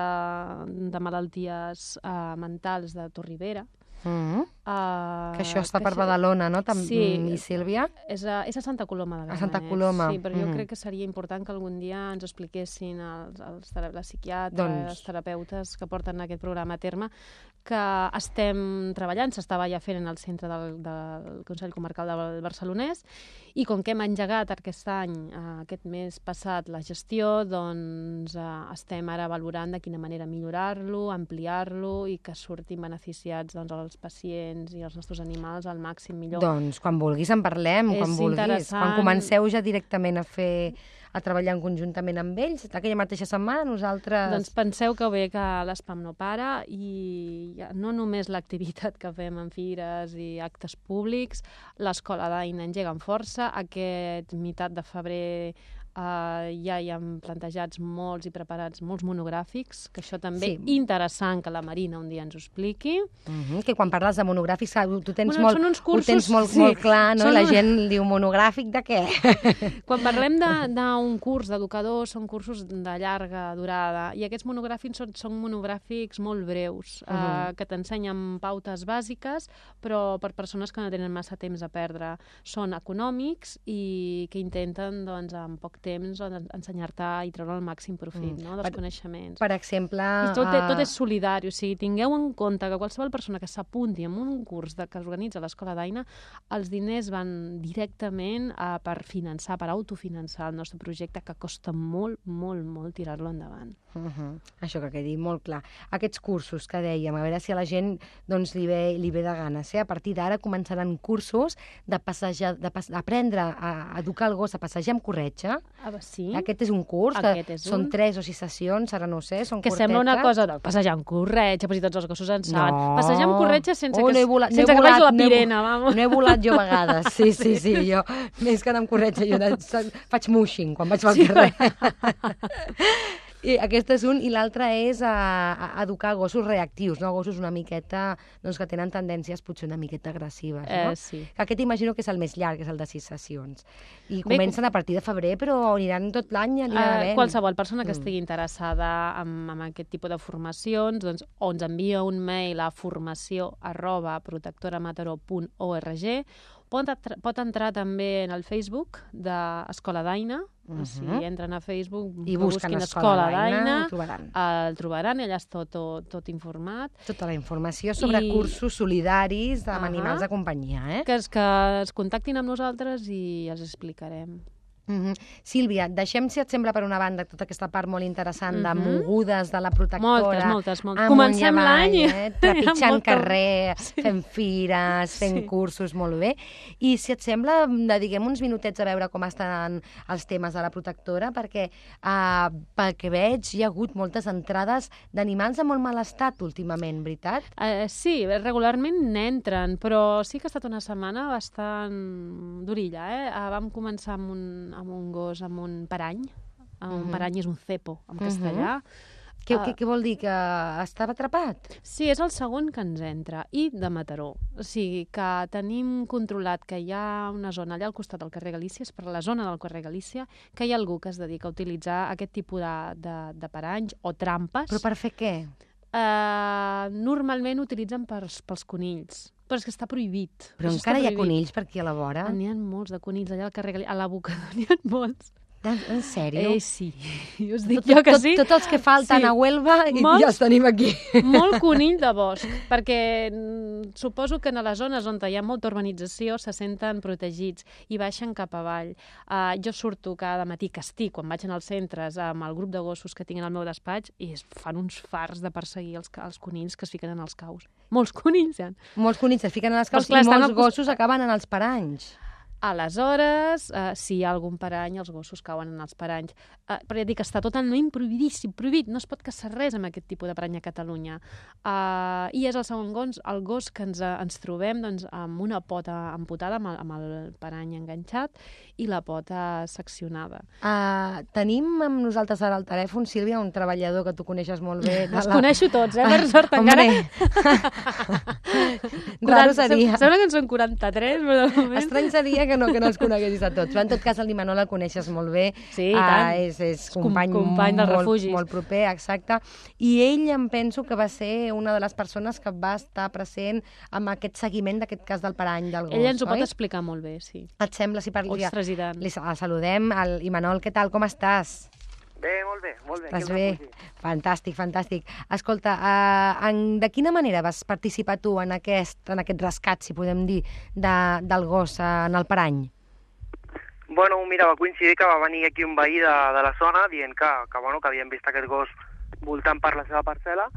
[SPEAKER 4] de Malalties uh, Mentals de Torribera.
[SPEAKER 2] Mm-hmm.
[SPEAKER 4] uh,
[SPEAKER 2] que això està per això... Badalona, no? Tam
[SPEAKER 4] sí,
[SPEAKER 2] i Sílvia?
[SPEAKER 4] És a, és a Santa Coloma de Gramenet.
[SPEAKER 2] A Santa Coloma.
[SPEAKER 4] Sí, però
[SPEAKER 2] mm-hmm.
[SPEAKER 4] jo crec que seria important que algun dia ens expliquessin els, els, les psiquiatres,
[SPEAKER 2] doncs...
[SPEAKER 4] els terapeutes que porten aquest programa a terme, que estem treballant, s'estava ja fent en el centre del, del Consell Comarcal del Barcelonès, i com que hem engegat aquest any, eh, aquest mes passat, la gestió, doncs eh, estem ara valorant de quina manera millorar-lo, ampliar-lo i que surtin beneficiats doncs, els pacients i els nostres animals al màxim millor.
[SPEAKER 2] Doncs quan vulguis en parlem,
[SPEAKER 4] és
[SPEAKER 2] quan vulguis.
[SPEAKER 4] Interessant.
[SPEAKER 2] Quan comenceu ja directament a fer a treballar conjuntament amb ells, aquella mateixa setmana nosaltres...
[SPEAKER 4] Doncs penseu que bé que l'Espam no para i no només l'activitat que fem en fires i actes públics, l'Escola d'Aina engega amb força, aquest meitat de febrer Uh, ja hi ha plantejats molts i preparats molts monogràfics, que això també sí. interessant que la Marina un dia ens ho expliqui.
[SPEAKER 2] Uh-huh, que quan parles de monogràfics, tu tens,
[SPEAKER 4] bueno,
[SPEAKER 2] molt,
[SPEAKER 4] cursos,
[SPEAKER 2] ho tens molt, sí. molt clar, no? Són la un... gent diu monogràfic de què?
[SPEAKER 4] Quan parlem d'un curs d'educadors, són cursos de llarga durada, i aquests monogràfics són, són monogràfics molt breus, uh-huh. uh, que t'ensenyen pautes bàsiques, però per persones que no tenen massa temps a perdre. Són econòmics i que intenten, doncs, en poc temps ensenyar-te i treure el màxim profit mm. no, dels
[SPEAKER 2] per,
[SPEAKER 4] coneixements.
[SPEAKER 2] Per exemple...
[SPEAKER 4] I tot, uh... tot és solidari, o sigui, tingueu en compte que qualsevol persona que s'apunti en un curs de, que organitza l'Escola d'Aina, els diners van directament uh, per finançar, per autofinançar el nostre projecte, que costa molt, molt, molt tirar-lo endavant.
[SPEAKER 2] Uh -huh. Això que quedi molt clar. Aquests cursos que dèiem, a veure si a la gent doncs, li, ve, li ve de ganes. Eh? A partir d'ara començaran cursos de passejar, de pas, aprendre a educar el gos a passejar amb corretja,
[SPEAKER 4] Ah, sí?
[SPEAKER 2] Aquest és un curs,
[SPEAKER 4] Aquest
[SPEAKER 2] que
[SPEAKER 4] és
[SPEAKER 2] són
[SPEAKER 4] un.
[SPEAKER 2] tres o sis sessions, ara no ho sé, són
[SPEAKER 4] Que
[SPEAKER 2] curtetes.
[SPEAKER 4] sembla una cosa de passejar amb corretja, però si tots els gossos en saben.
[SPEAKER 2] No.
[SPEAKER 4] Passejar amb corretja sense
[SPEAKER 2] Oh,
[SPEAKER 4] que,
[SPEAKER 2] no he volat,
[SPEAKER 4] sense
[SPEAKER 2] no he
[SPEAKER 4] que
[SPEAKER 2] volat,
[SPEAKER 4] vagi la
[SPEAKER 2] no he vo-
[SPEAKER 4] pirena, vamos.
[SPEAKER 2] No he volat jo a vegades, sí, sí, sí, jo més que anar amb corretja, jo de, faig mushing quan vaig pel
[SPEAKER 4] Sí.
[SPEAKER 2] carrer. I aquest és un, i l'altre és a, a educar gossos reactius, no? Gossos una miqueta, doncs que tenen tendències potser una miqueta agressives, no?
[SPEAKER 4] Eh, sí.
[SPEAKER 2] Aquest imagino que és el més llarg, que és el de sis sessions. I
[SPEAKER 4] Bé,
[SPEAKER 2] comencen a partir de febrer, però aniran tot l'any, aniran
[SPEAKER 4] Uh,
[SPEAKER 2] havent.
[SPEAKER 4] qualsevol persona que
[SPEAKER 2] Mm.
[SPEAKER 4] estigui interessada en, en aquest tipus de formacions, doncs, o ens envia un mail a formació arroba protectoramataró punt org, pot, atra- pot entrar també en el Facebook d'Escola d'Aina,
[SPEAKER 2] Mhm.
[SPEAKER 4] o sigui, entren a Facebook,
[SPEAKER 2] I
[SPEAKER 4] que
[SPEAKER 2] busquen
[SPEAKER 4] busquin
[SPEAKER 2] Escola
[SPEAKER 4] Escola
[SPEAKER 2] d'Aina,
[SPEAKER 4] d'Aina,
[SPEAKER 2] ho trobaran.
[SPEAKER 4] el trobaran, allà està tot, tot, tot informat.
[SPEAKER 2] Tota la informació sobre
[SPEAKER 4] I-
[SPEAKER 2] cursos solidaris amb
[SPEAKER 4] Ahà.
[SPEAKER 2] animals de companyia, eh?
[SPEAKER 4] Que es, que es contactin amb nosaltres i els explicarem.
[SPEAKER 2] Mm -hmm. Sílvia, deixem, si et sembla, per una banda, tota aquesta part molt interessant de
[SPEAKER 4] Mhm.
[SPEAKER 2] mogudes de la protectora.
[SPEAKER 4] Moltes, moltes, moltes.
[SPEAKER 2] amunt i
[SPEAKER 4] Comencem
[SPEAKER 2] avall,
[SPEAKER 4] l'any i-
[SPEAKER 2] Eh? Trepitjant
[SPEAKER 4] molta-
[SPEAKER 2] carrer,
[SPEAKER 4] Sí.
[SPEAKER 2] fent fires, fent
[SPEAKER 4] Sí.
[SPEAKER 2] cursos, molt bé. I si et sembla, dediquem uns minutets a veure com estan els temes de la protectora, perquè uh, pel que veig hi ha hagut moltes entrades d'animals en molt mal estat últimament, veritat?
[SPEAKER 4] Uh, sí, regularment n'entren, però sí que ha estat una setmana bastant durilla. Eh? Uh, vam començar amb un, amb un gos, amb un parany. Uh, un
[SPEAKER 2] Mhm.
[SPEAKER 4] parany és un cepo, en
[SPEAKER 2] Mhm.
[SPEAKER 4] castellà.
[SPEAKER 2] Què,
[SPEAKER 4] Uh,
[SPEAKER 2] què, què vol dir? Que estava atrapat?
[SPEAKER 4] Sí, és el segon que ens entra, i de Mataró. O sigui, que tenim controlat que hi ha una zona allà al costat del carrer Galícia, és per la zona del carrer Galícia, que hi ha algú que es dedica a utilitzar aquest tipus de, de, de paranys o trampes.
[SPEAKER 2] Però per fer què?
[SPEAKER 4] Uh, normalment utilitzen pels, pels conills, però és que està prohibit.
[SPEAKER 2] Però
[SPEAKER 4] Això
[SPEAKER 2] encara
[SPEAKER 4] està
[SPEAKER 2] hi ha
[SPEAKER 4] prohibit.
[SPEAKER 2] conills per aquí a la vora?
[SPEAKER 4] N'hi ha molts de conills allà al carrer Galí- a l'abocador n'hi ha molts.
[SPEAKER 2] En, en sèrio?
[SPEAKER 4] Eh, sí, us dic
[SPEAKER 2] tot,
[SPEAKER 4] jo que
[SPEAKER 2] tot,
[SPEAKER 4] sí.
[SPEAKER 2] Tots els que falten
[SPEAKER 4] Sí.
[SPEAKER 2] a Huelva i
[SPEAKER 4] Molts-
[SPEAKER 2] ja els tenim aquí.
[SPEAKER 4] Molt conill de bosc, perquè mm, suposo que en les zones on hi ha molta urbanització se senten protegits i baixen cap avall. Uh, jo surto cada matí, que estic, quan vaig als centres, amb el grup de gossos que tinc al meu despatx, i es fan uns fars de perseguir els, els conills que es fiquen en els caus. Molts conills, ja.
[SPEAKER 2] Molts conills es fiquen a les caus
[SPEAKER 4] Però, clar,
[SPEAKER 2] i
[SPEAKER 4] estan
[SPEAKER 2] molts
[SPEAKER 4] al cos-
[SPEAKER 2] gossos acaben en els paranys.
[SPEAKER 4] Aleshores, uh, si hi ha algun parany, els gossos cauen en els paranys. Uh, però ja dic que està totalment prohibidíssim, prohibit, no es pot caçar res amb aquest tipus de parany a Catalunya. Uh, I és el segon gos, el gos que ens, uh, ens trobem doncs, amb una pota amputada, amb el, amb el parany enganxat, i la pota seccionada.
[SPEAKER 2] Uh, tenim amb nosaltres ara al telèfon, Sílvia, un treballador que tu coneixes molt bé. de
[SPEAKER 4] Els
[SPEAKER 2] la-
[SPEAKER 4] coneixo tots, eh, per sort,
[SPEAKER 2] Hombre.
[SPEAKER 4] encara.
[SPEAKER 2] Raro seria.
[SPEAKER 4] Sembla que en són quaranta-tres, però de moment...
[SPEAKER 2] Estrany seria que no, que no els coneguessis a tots. Però en tot cas, el Imanol el coneixes molt bé.
[SPEAKER 4] Sí, i tant.
[SPEAKER 2] Uh, és, és
[SPEAKER 4] com-
[SPEAKER 2] company,
[SPEAKER 4] company dels
[SPEAKER 2] molt,
[SPEAKER 4] refugis.
[SPEAKER 2] molt proper, exacte. I ell em penso que va ser una de les persones que va estar present amb aquest seguiment d'aquest cas del parany del gos,
[SPEAKER 4] Ell ens ho pot
[SPEAKER 2] oi?
[SPEAKER 4] explicar molt bé, sí.
[SPEAKER 2] Et sembla si parli?
[SPEAKER 4] Ostres, i tant.
[SPEAKER 2] Li el saludem. El Imanol, què tal? Com estàs?
[SPEAKER 5] Bé, molt bé, molt bé.
[SPEAKER 2] Estàs
[SPEAKER 5] aquí al
[SPEAKER 2] bé?
[SPEAKER 5] refugi.
[SPEAKER 2] Fantàstic, fantàstic. Escolta, uh, en, de quina manera vas participar tu en aquest, en aquest rescat, si podem dir, de, del gos uh, en el parany?
[SPEAKER 5] Bueno, mira, va coincidir que va venir aquí un veí de, de la zona dient que, que, bueno, que havien vist aquest gos voltant per la seva parcel·la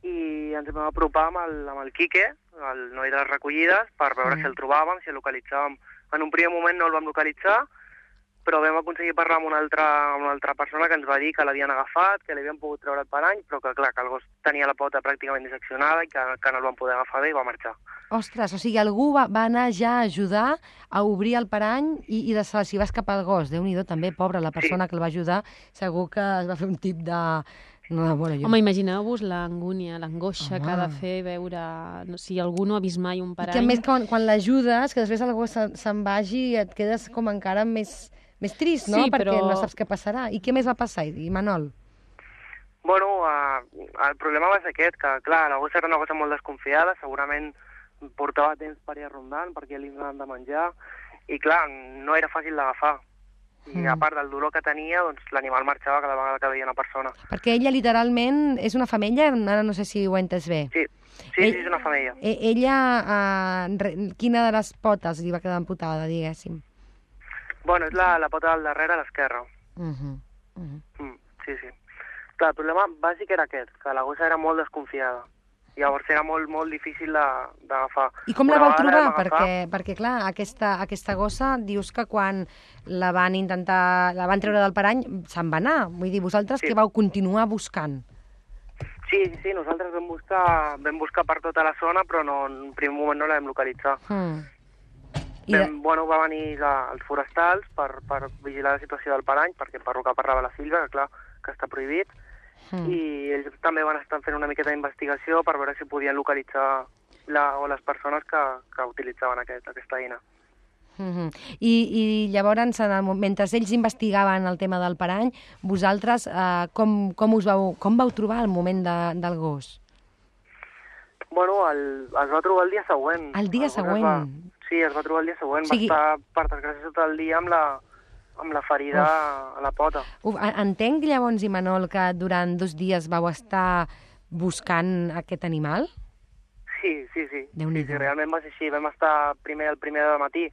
[SPEAKER 5] i ens vam apropar amb el, amb el Quique, el noi de les recollides, per veure
[SPEAKER 2] Mm.
[SPEAKER 5] si el trobàvem, si el localitzàvem. En un primer moment no el vam localitzar, però vam aconseguir parlar amb una altra, amb una altra persona que ens va dir que l'havien agafat, que li havien pogut treure el parany, però que, clar, que el gos tenia la pota pràcticament disseccionada i que, que no el van poder agafar bé i va marxar.
[SPEAKER 2] Ostres, o sigui, algú va, va anar ja a ajudar a obrir el parany i, i de si va escapar el gos. Déu-n'hi-do, també, pobra, la persona
[SPEAKER 5] Sí.
[SPEAKER 2] que el va ajudar, segur que es va fer un tip de... No, bueno, jo...
[SPEAKER 4] Home, imagineu-vos l'angúnia, l'angoixa que ha de
[SPEAKER 2] Home.
[SPEAKER 4] fer veure... No, si algú no ha vist mai un
[SPEAKER 2] I
[SPEAKER 4] parany...
[SPEAKER 2] que a més, quan, quan l'ajudes, que després el gos se'n se'n vagi, et quedes com encara més, més trist, no?
[SPEAKER 4] Sí,
[SPEAKER 2] Perquè
[SPEAKER 4] però-
[SPEAKER 2] no saps què passarà. I què més va passar, Imanol?
[SPEAKER 5] Bueno, uh, el problema va ser aquest, que clar, la gossa era una gossa molt desconfiada, segurament portava temps per ir rondant, perquè li donaven de menjar, i clar, no era fàcil d'agafar. I
[SPEAKER 2] Mm.
[SPEAKER 5] a part del dolor que tenia, doncs l'animal marxava cada vegada que veia una persona.
[SPEAKER 2] Perquè ella literalment és una femella, ara no sé si ho he entès bé.
[SPEAKER 5] Sí, sí,
[SPEAKER 2] Ell-
[SPEAKER 5] sí, és una femella.
[SPEAKER 2] E ella, uh, re, quina de les potes li va quedar amputada, diguéssim?
[SPEAKER 5] Bueno, és la, la pota del darrere a l'esquerra.
[SPEAKER 2] Uh -huh. Uh -huh.
[SPEAKER 5] Mm, sí, sí. Clar, el problema bàsic era aquest, que la gossa era molt desconfiada. Llavors era molt, molt difícil d'agafar.
[SPEAKER 2] I com la vau trobar? Perquè, perquè clar, aquesta, aquesta gossa, dius que quan la van intentar, la van treure del parany, se'n va anar. Vull dir, vosaltres sí. que vau continuar buscant?
[SPEAKER 5] Sí, sí, nosaltres vam buscar, vam buscar per tota la zona, però no, en primer moment no la vam localitzar. Mm. I vam, de... bueno, va venir la, els forestals per, per vigilar la situació del parany, perquè per lo que parlava la Sílvia, que clar, que està prohibit, Mm. i ells també van estar fent una miqueta d'investigació per veure si podien localitzar la, o les persones que, que utilitzaven aquest, aquesta eina.
[SPEAKER 2] Mm-hmm. I, I llavors, en el, mentre ells investigaven el tema del parany, vosaltres eh, com, com, us vau, com vau trobar el moment de, del gos?
[SPEAKER 5] Bueno, el, es va trobar el dia següent.
[SPEAKER 2] El dia el següent?
[SPEAKER 5] Va, sí, es va trobar el dia següent. O sigui... Va estar, per desgràcia, tot el dia amb la... amb la ferida Uf. a la pota.
[SPEAKER 2] Uf, entenc llavors, Imanol, que durant dos dies vau estar buscant aquest animal?
[SPEAKER 5] Sí, sí, sí. sí, sí realment va ser així. Vam estar primer el primer de matí,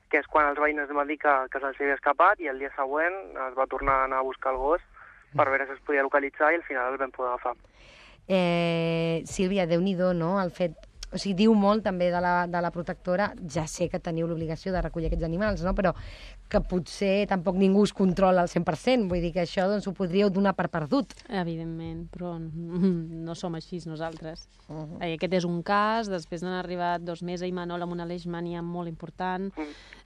[SPEAKER 5] que és quan els veïns van dir que, que se'ls havia escapat, i el dia següent es va tornar a anar a buscar el gos per veure si es podia localitzar, i al final el vam poder agafar.
[SPEAKER 2] Eh, Sílvia, Déu-n'hi-do, no?, el fet... O sigui, diu molt també de la, de la protectora, ja sé que teniu l'obligació de recollir aquests animals, no?, però que potser tampoc ningú us controla al cent per cent, vull dir que això doncs, ho podríeu donar per perdut.
[SPEAKER 4] Evidentment, però no som així nosaltres. Uh-huh. Aquest és un cas, després n'han arribat dos més a Imanol amb una leishmania molt important,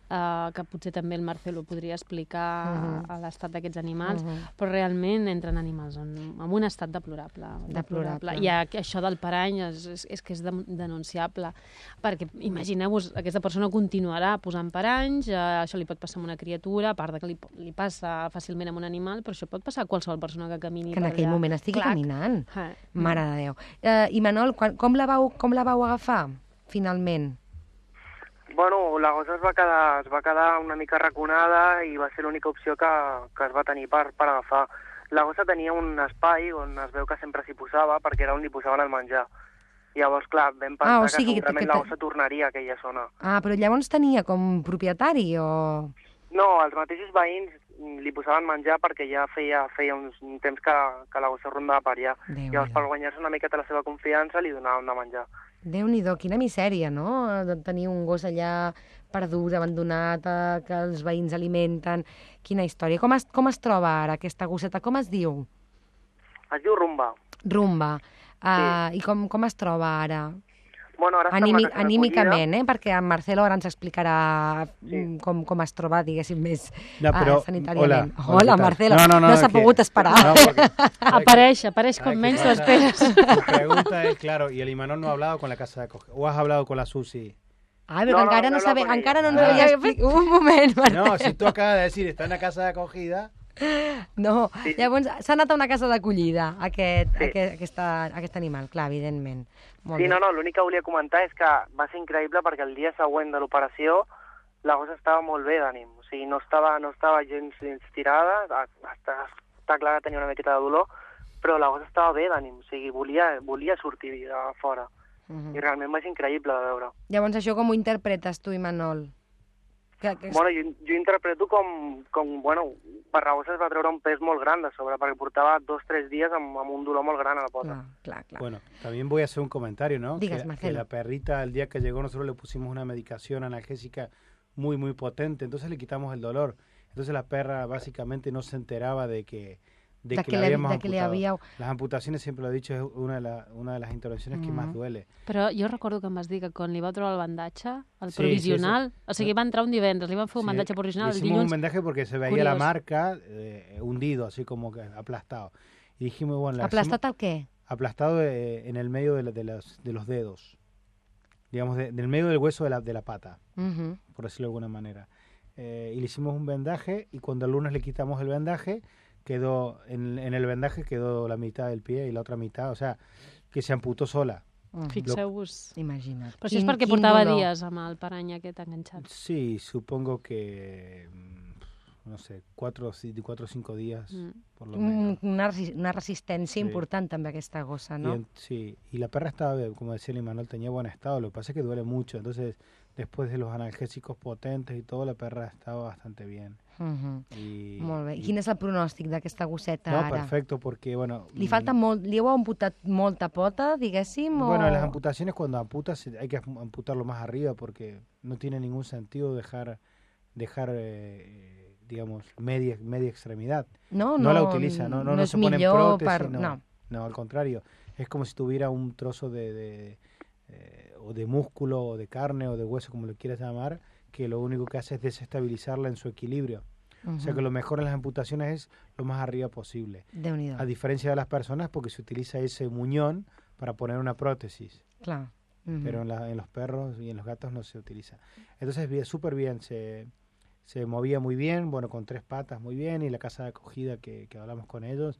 [SPEAKER 4] Uh, que potser també el Marcelo podria explicar uh-huh. a l'estat d'aquests animals, uh-huh. però realment entren animals en, en un estat deplorable.
[SPEAKER 2] Deplorable.
[SPEAKER 4] I això del parany és, és, és que és denunciable, perquè imagineu-vos, aquesta persona continuarà posant paranys, uh, això li pot passar a una criatura, a part de que li, li passa fàcilment a un animal, però això pot passar a qualsevol persona que camini
[SPEAKER 2] que
[SPEAKER 4] per allà.
[SPEAKER 2] Que en aquell moment estigui
[SPEAKER 4] Clac.
[SPEAKER 2] caminant.
[SPEAKER 4] Ah.
[SPEAKER 2] Mare de Déu. Uh, Imanol, quan, com, la vau, com la vau agafar, finalment?
[SPEAKER 5] Bueno, la gossa es va quedar, es va quedar una mica raconada i va ser l'única opció que, que es va tenir per, per agafar. La gossa tenia un espai on es veu que sempre s'hi posava perquè era on li posaven el menjar. Llavors, clar, vam pensar ah, o sigui, que segurament que, que... la gossa tornaria a aquella zona.
[SPEAKER 2] Ah, però llavors tenia com propietari o...?
[SPEAKER 5] No, els mateixos veïns li posaven menjar perquè ja feia, feia uns, un temps que, que la gossa rondava per allà. Déu Llavors, per guanyar-se una miqueta la seva confiança, li donaven de menjar.
[SPEAKER 2] Déu-n'hi-do, quina misèria, no?, de tenir un gos allà perdut, abandonat, eh, que els veïns alimenten. Quina història. Com es, com es troba ara aquesta gosseta? Com es diu?
[SPEAKER 5] Es diu Rumba.
[SPEAKER 2] Rumba. Uh, sí. I com, com es troba ara?
[SPEAKER 5] Bueno, ara
[SPEAKER 2] Anímic, anímicament, eh? Perquè en Marcelo ara ens explicarà sí. com, com es troba, diguéssim, més no, però, uh, sanitàriament. Hola, hola Marcelo, no, no, no, no s'ha pogut esperar. No, porque,
[SPEAKER 4] apareix, apareix com menys t'ho esperes.
[SPEAKER 6] La pregunta es, claro, ¿y el Imanol no ha hablado con la casa de acogida? ¿O has hablado con la Susi?
[SPEAKER 2] Ah, però no, encara no, no, sabe, encara no ens ah. havia explicat. Un moment, Marcelo.
[SPEAKER 6] No, si tu acabas de decir, está en la casa de acogida...
[SPEAKER 2] No, sí. Llavors s'ha anat a una casa d'acollida aquest, sí. aquest, aquesta, aquest animal, clar, evidentment.
[SPEAKER 5] Molt sí, bé. no, no, l'únic que volia comentar és que va ser increïble perquè el dia següent de l'operació la gossa estava molt bé d'ànim, o sigui, no estava, no estava gens, gens tirada, està, està clar que tenia una miqueta de dolor, però la gossa estava bé d'ànim, o sigui, volia, volia sortir a fora, uh-huh. i realment va ser increïble de veure.
[SPEAKER 2] Llavors això com ho interpretes tu, Imanol?
[SPEAKER 5] Que, que... Bueno, jo, jo interpreto com, com, bueno, per la gossa es va treure un pes molt gran de sobre, perquè portava dos o tres dies amb, amb un dolor molt gran a la pota.
[SPEAKER 2] Claro, claro, claro.
[SPEAKER 6] Bueno, también voy a hacer un comentario, ¿no?
[SPEAKER 2] Digas,
[SPEAKER 6] que, que la perrita, el día que llegó, nosotros le pusimos una medicación analgésica muy, muy potente, entonces le quitamos el dolor. Entonces la perra básicamente no se enteraba de que... De, de que, que, le, habíamos de que le había... Las amputaciones, siempre lo he dicho, es una de, la, una de las intervenciones mm. que más duele.
[SPEAKER 4] Però jo recordo que em vas dir que quan li va trobar el bandatge, el sí, provisional, sí, sí. o sigui, va entrar un divendres, li van fer un sí, bandatge provisional el dilluns.
[SPEAKER 6] Hicimos un bandaje porque se veía Curiós. la marca eh, hundido, así como que aplastado. Y dijimos, bueno...
[SPEAKER 2] ¿Aplastat al qué?
[SPEAKER 6] Aplastado eh, en el medio de, la, de, las, de los dedos. Digamos, de, del medio del hueso de la, de la pata, uh-huh. por decirlo de alguna manera. Eh, y le hicimos un vendaje, y cuando el lunes le quitamos el vendaje, quedó en, en el vendaje quedó la mitad del pie y la otra mitad, o sea, que se amputó sola.
[SPEAKER 4] Uh-huh. Fixeu-vos.
[SPEAKER 2] Imagina't.
[SPEAKER 4] Però això és perquè portava dolor. dies amb el parany aquest enganxat.
[SPEAKER 6] Sí, supongo que, no sé, cuatro o cinco días, mm. por lo menos.
[SPEAKER 2] Una, una resistència sí. important també aquesta gossa, ¿no?
[SPEAKER 6] Y en, sí, y la perra estaba, como decía el Imanol, tenía buen estado, lo que pasa es que duele mucho, entonces después de los analgésicos potentes y todo, la perra estaba bastante bien.
[SPEAKER 2] Uh-huh.
[SPEAKER 6] I,
[SPEAKER 2] Molt bé. I
[SPEAKER 6] i...
[SPEAKER 2] quin és el pronòstic d'aquesta gosseta
[SPEAKER 6] No,
[SPEAKER 2] ara?
[SPEAKER 6] perfecto, porque, bueno...
[SPEAKER 2] Li falta molt, li heu amputat molta pota, diguéssim, o...?
[SPEAKER 6] Bueno, las amputaciones, cuando amputas, hay que amputarlo más arriba porque no tiene ningún sentido dejar, dejar eh, digamos, media, media extremidad.
[SPEAKER 2] No,
[SPEAKER 6] no,
[SPEAKER 2] no
[SPEAKER 6] la utiliza, no, no,
[SPEAKER 2] no,
[SPEAKER 6] no
[SPEAKER 2] es
[SPEAKER 6] se pone
[SPEAKER 2] millor
[SPEAKER 6] prótesis,
[SPEAKER 2] per...
[SPEAKER 6] no,
[SPEAKER 2] no.
[SPEAKER 6] no, al contrario. Es como si tuviera un trozo de, de eh, o de músculo, o de carne, o de hueso, como lo quieras llamar, que lo único que hace es desestabilizarla en su equilibrio. Uh-huh. O sea que lo mejor en las amputaciones es lo más arriba posible. A diferencia de las personas, porque se utiliza ese muñón para poner una prótesis.
[SPEAKER 2] Claro. Uh-huh.
[SPEAKER 6] Pero en, la, en los perros y en los gatos no se utiliza. Entonces, súper bien, se, se movía muy bien, bueno, con tres patas muy bien, y la casa de acogida que, que hablamos con ellos,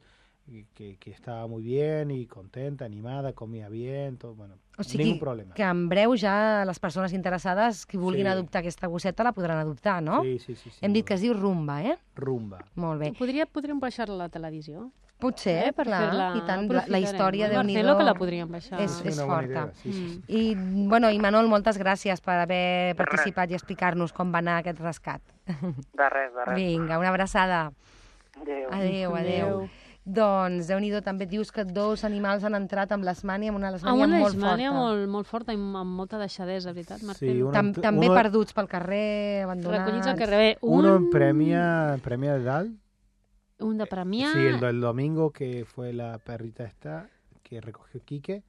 [SPEAKER 6] que, que estava molt bien i contenta, animada, comia bien, tot, bueno,
[SPEAKER 2] o sigui,
[SPEAKER 6] ningú problema.
[SPEAKER 2] Que en breu ja les persones interessades que vulguin sí. adoptar aquesta gosseta la podran adoptar, no?
[SPEAKER 6] Sí, sí, sí. sí
[SPEAKER 2] Hem dit que es diu Rumba, eh?
[SPEAKER 6] Rumba.
[SPEAKER 2] Molt bé.
[SPEAKER 4] Podria, podríem baixar-la a la televisió?
[SPEAKER 2] Potser, eh, per clar, i tant, la, la història de
[SPEAKER 4] Déu-n'hi-do que la podríem baixar.
[SPEAKER 2] És, és forta.
[SPEAKER 6] Sí, sí, sí.
[SPEAKER 2] I, bueno, i Manol, moltes gràcies per haver participat i explicar-nos com va anar aquest rescat.
[SPEAKER 5] De res, de res.
[SPEAKER 2] Vinga, una abraçada.
[SPEAKER 5] Adéu.
[SPEAKER 2] Adéu, adéu. Doncs, Déu-n'hi-do, també dius que dos animals han entrat amb l'esmània, amb una lesmània
[SPEAKER 4] amb una
[SPEAKER 2] molt forta.
[SPEAKER 4] lesmània molt, molt forta i amb molta deixadesa, veritat, Marcelo?
[SPEAKER 6] Sí,
[SPEAKER 2] Tam
[SPEAKER 6] uno,
[SPEAKER 2] també
[SPEAKER 6] uno,
[SPEAKER 2] perduts pel carrer, abandonats...
[SPEAKER 4] Recollits al carrer. Un...
[SPEAKER 6] Uno en Premia, premia de Dal.
[SPEAKER 4] Un de Premià.
[SPEAKER 6] Sí, el del domingo, que fue la perrita esta, que recogió Quique.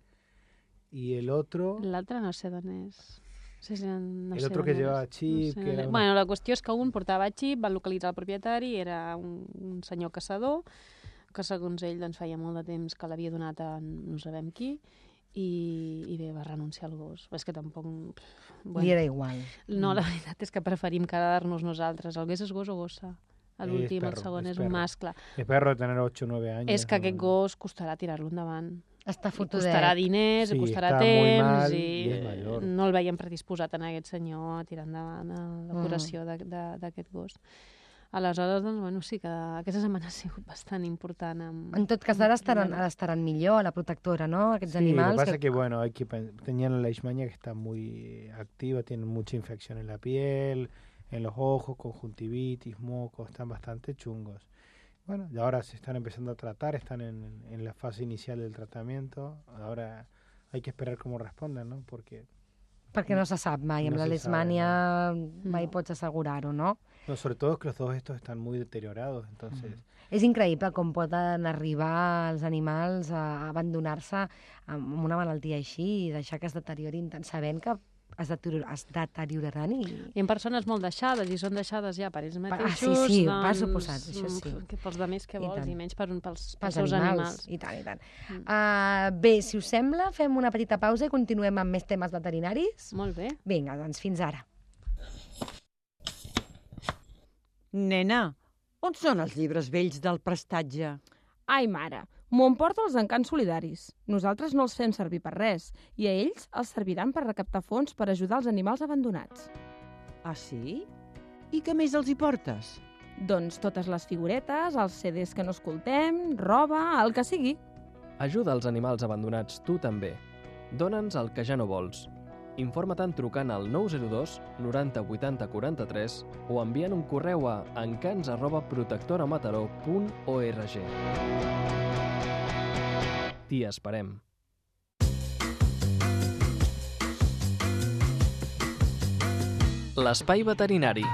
[SPEAKER 6] Y el otro...
[SPEAKER 4] L'altre no sé d'on és. No sé si no
[SPEAKER 6] el
[SPEAKER 4] sé
[SPEAKER 6] otro que llevaba xip.
[SPEAKER 4] No sé
[SPEAKER 6] que era una...
[SPEAKER 4] Bueno, la qüestió és que un portava xip, van localitzar el propietari, era un, un senyor caçador, que segons ell doncs, feia molt de temps que l'havia donat a no sabem qui, i, i bé, va renunciar al gos. És que tampoc...
[SPEAKER 2] Bueno, li era igual.
[SPEAKER 4] No, la veritat és que preferim quedar-nos nosaltres. El gos és gos o gossa? L'últim, el segon, és, és un mascle.
[SPEAKER 6] És perro de tener ocho o nueve anys.
[SPEAKER 4] És que aquest gos costarà tirar-lo endavant.
[SPEAKER 2] Està fotudet.
[SPEAKER 4] Costarà diners,
[SPEAKER 6] sí,
[SPEAKER 4] costarà temps,
[SPEAKER 6] mal,
[SPEAKER 4] i,
[SPEAKER 6] i
[SPEAKER 4] no el veiem predisposat en aquest senyor a tirar endavant la curació mm. d'aquest gos. Aleshores, doncs, bueno, sí que aquesta setmana ha sigut bastant important. Amb...
[SPEAKER 2] En tot cas, ara estaran, ara estaran millor a la protectora, ¿no? Aquests
[SPEAKER 6] sí,
[SPEAKER 2] animals.
[SPEAKER 6] Lo que pasa
[SPEAKER 2] que...
[SPEAKER 6] es que, bueno, hay que tenían la leishmania que está muy activa, tienen mucha infección en la piel, en los ojos, conjuntivitis, mocos, están bastante chungos. Bueno, y ahora se están empezando a tratar, están en, en la fase inicial del tratamiento. Ahora hay que esperar cómo responden, ¿no? Porque...
[SPEAKER 2] Perquè no se sap mai, amb no la leishmania no. mai pots assegurar-ho, no?
[SPEAKER 6] No, sobre todo es que los dos estos están muy deteriorados, entonces...
[SPEAKER 2] Mm. És increïble com poden arribar els animals a abandonar-se amb una malaltia així i deixar que es deteriorin tant, sabent que es, deterior es deterioraran. I...
[SPEAKER 4] I en persones molt deixades, i són deixades ja per ells mateixos.
[SPEAKER 2] Ah, sí, sí,
[SPEAKER 4] doncs,
[SPEAKER 2] per suposat, això sí.
[SPEAKER 4] Que pels altres que vols, i, i menys per un, pels, pels, pels seus
[SPEAKER 2] animals.
[SPEAKER 4] animals.
[SPEAKER 2] I tant, i tant. Mm. Uh, bé, si us sembla, fem una petita pausa i continuem amb més temes veterinaris?
[SPEAKER 4] Molt bé.
[SPEAKER 2] Vinga, doncs fins ara.
[SPEAKER 7] Nena, on són els llibres vells del prestatge?
[SPEAKER 8] Ai, mare, m'ho emporto als encants solidaris. Nosaltres no els fem servir per res, i a ells els serviran per recaptar fons per ajudar els animals abandonats.
[SPEAKER 7] Ah, sí? I què més els hi portes?
[SPEAKER 8] Doncs totes les figuretes, els ce des que no escoltem, roba, el que sigui.
[SPEAKER 1] Ajuda els animals abandonats tu també. Dóna'ns el que ja no vols. Informa-te'n trucant al nou zero dos noranta vuitanta quaranta-tres o enviant un correu a encants arroba protectoramataró punt org. T'hi esperem. L'espai veterinari.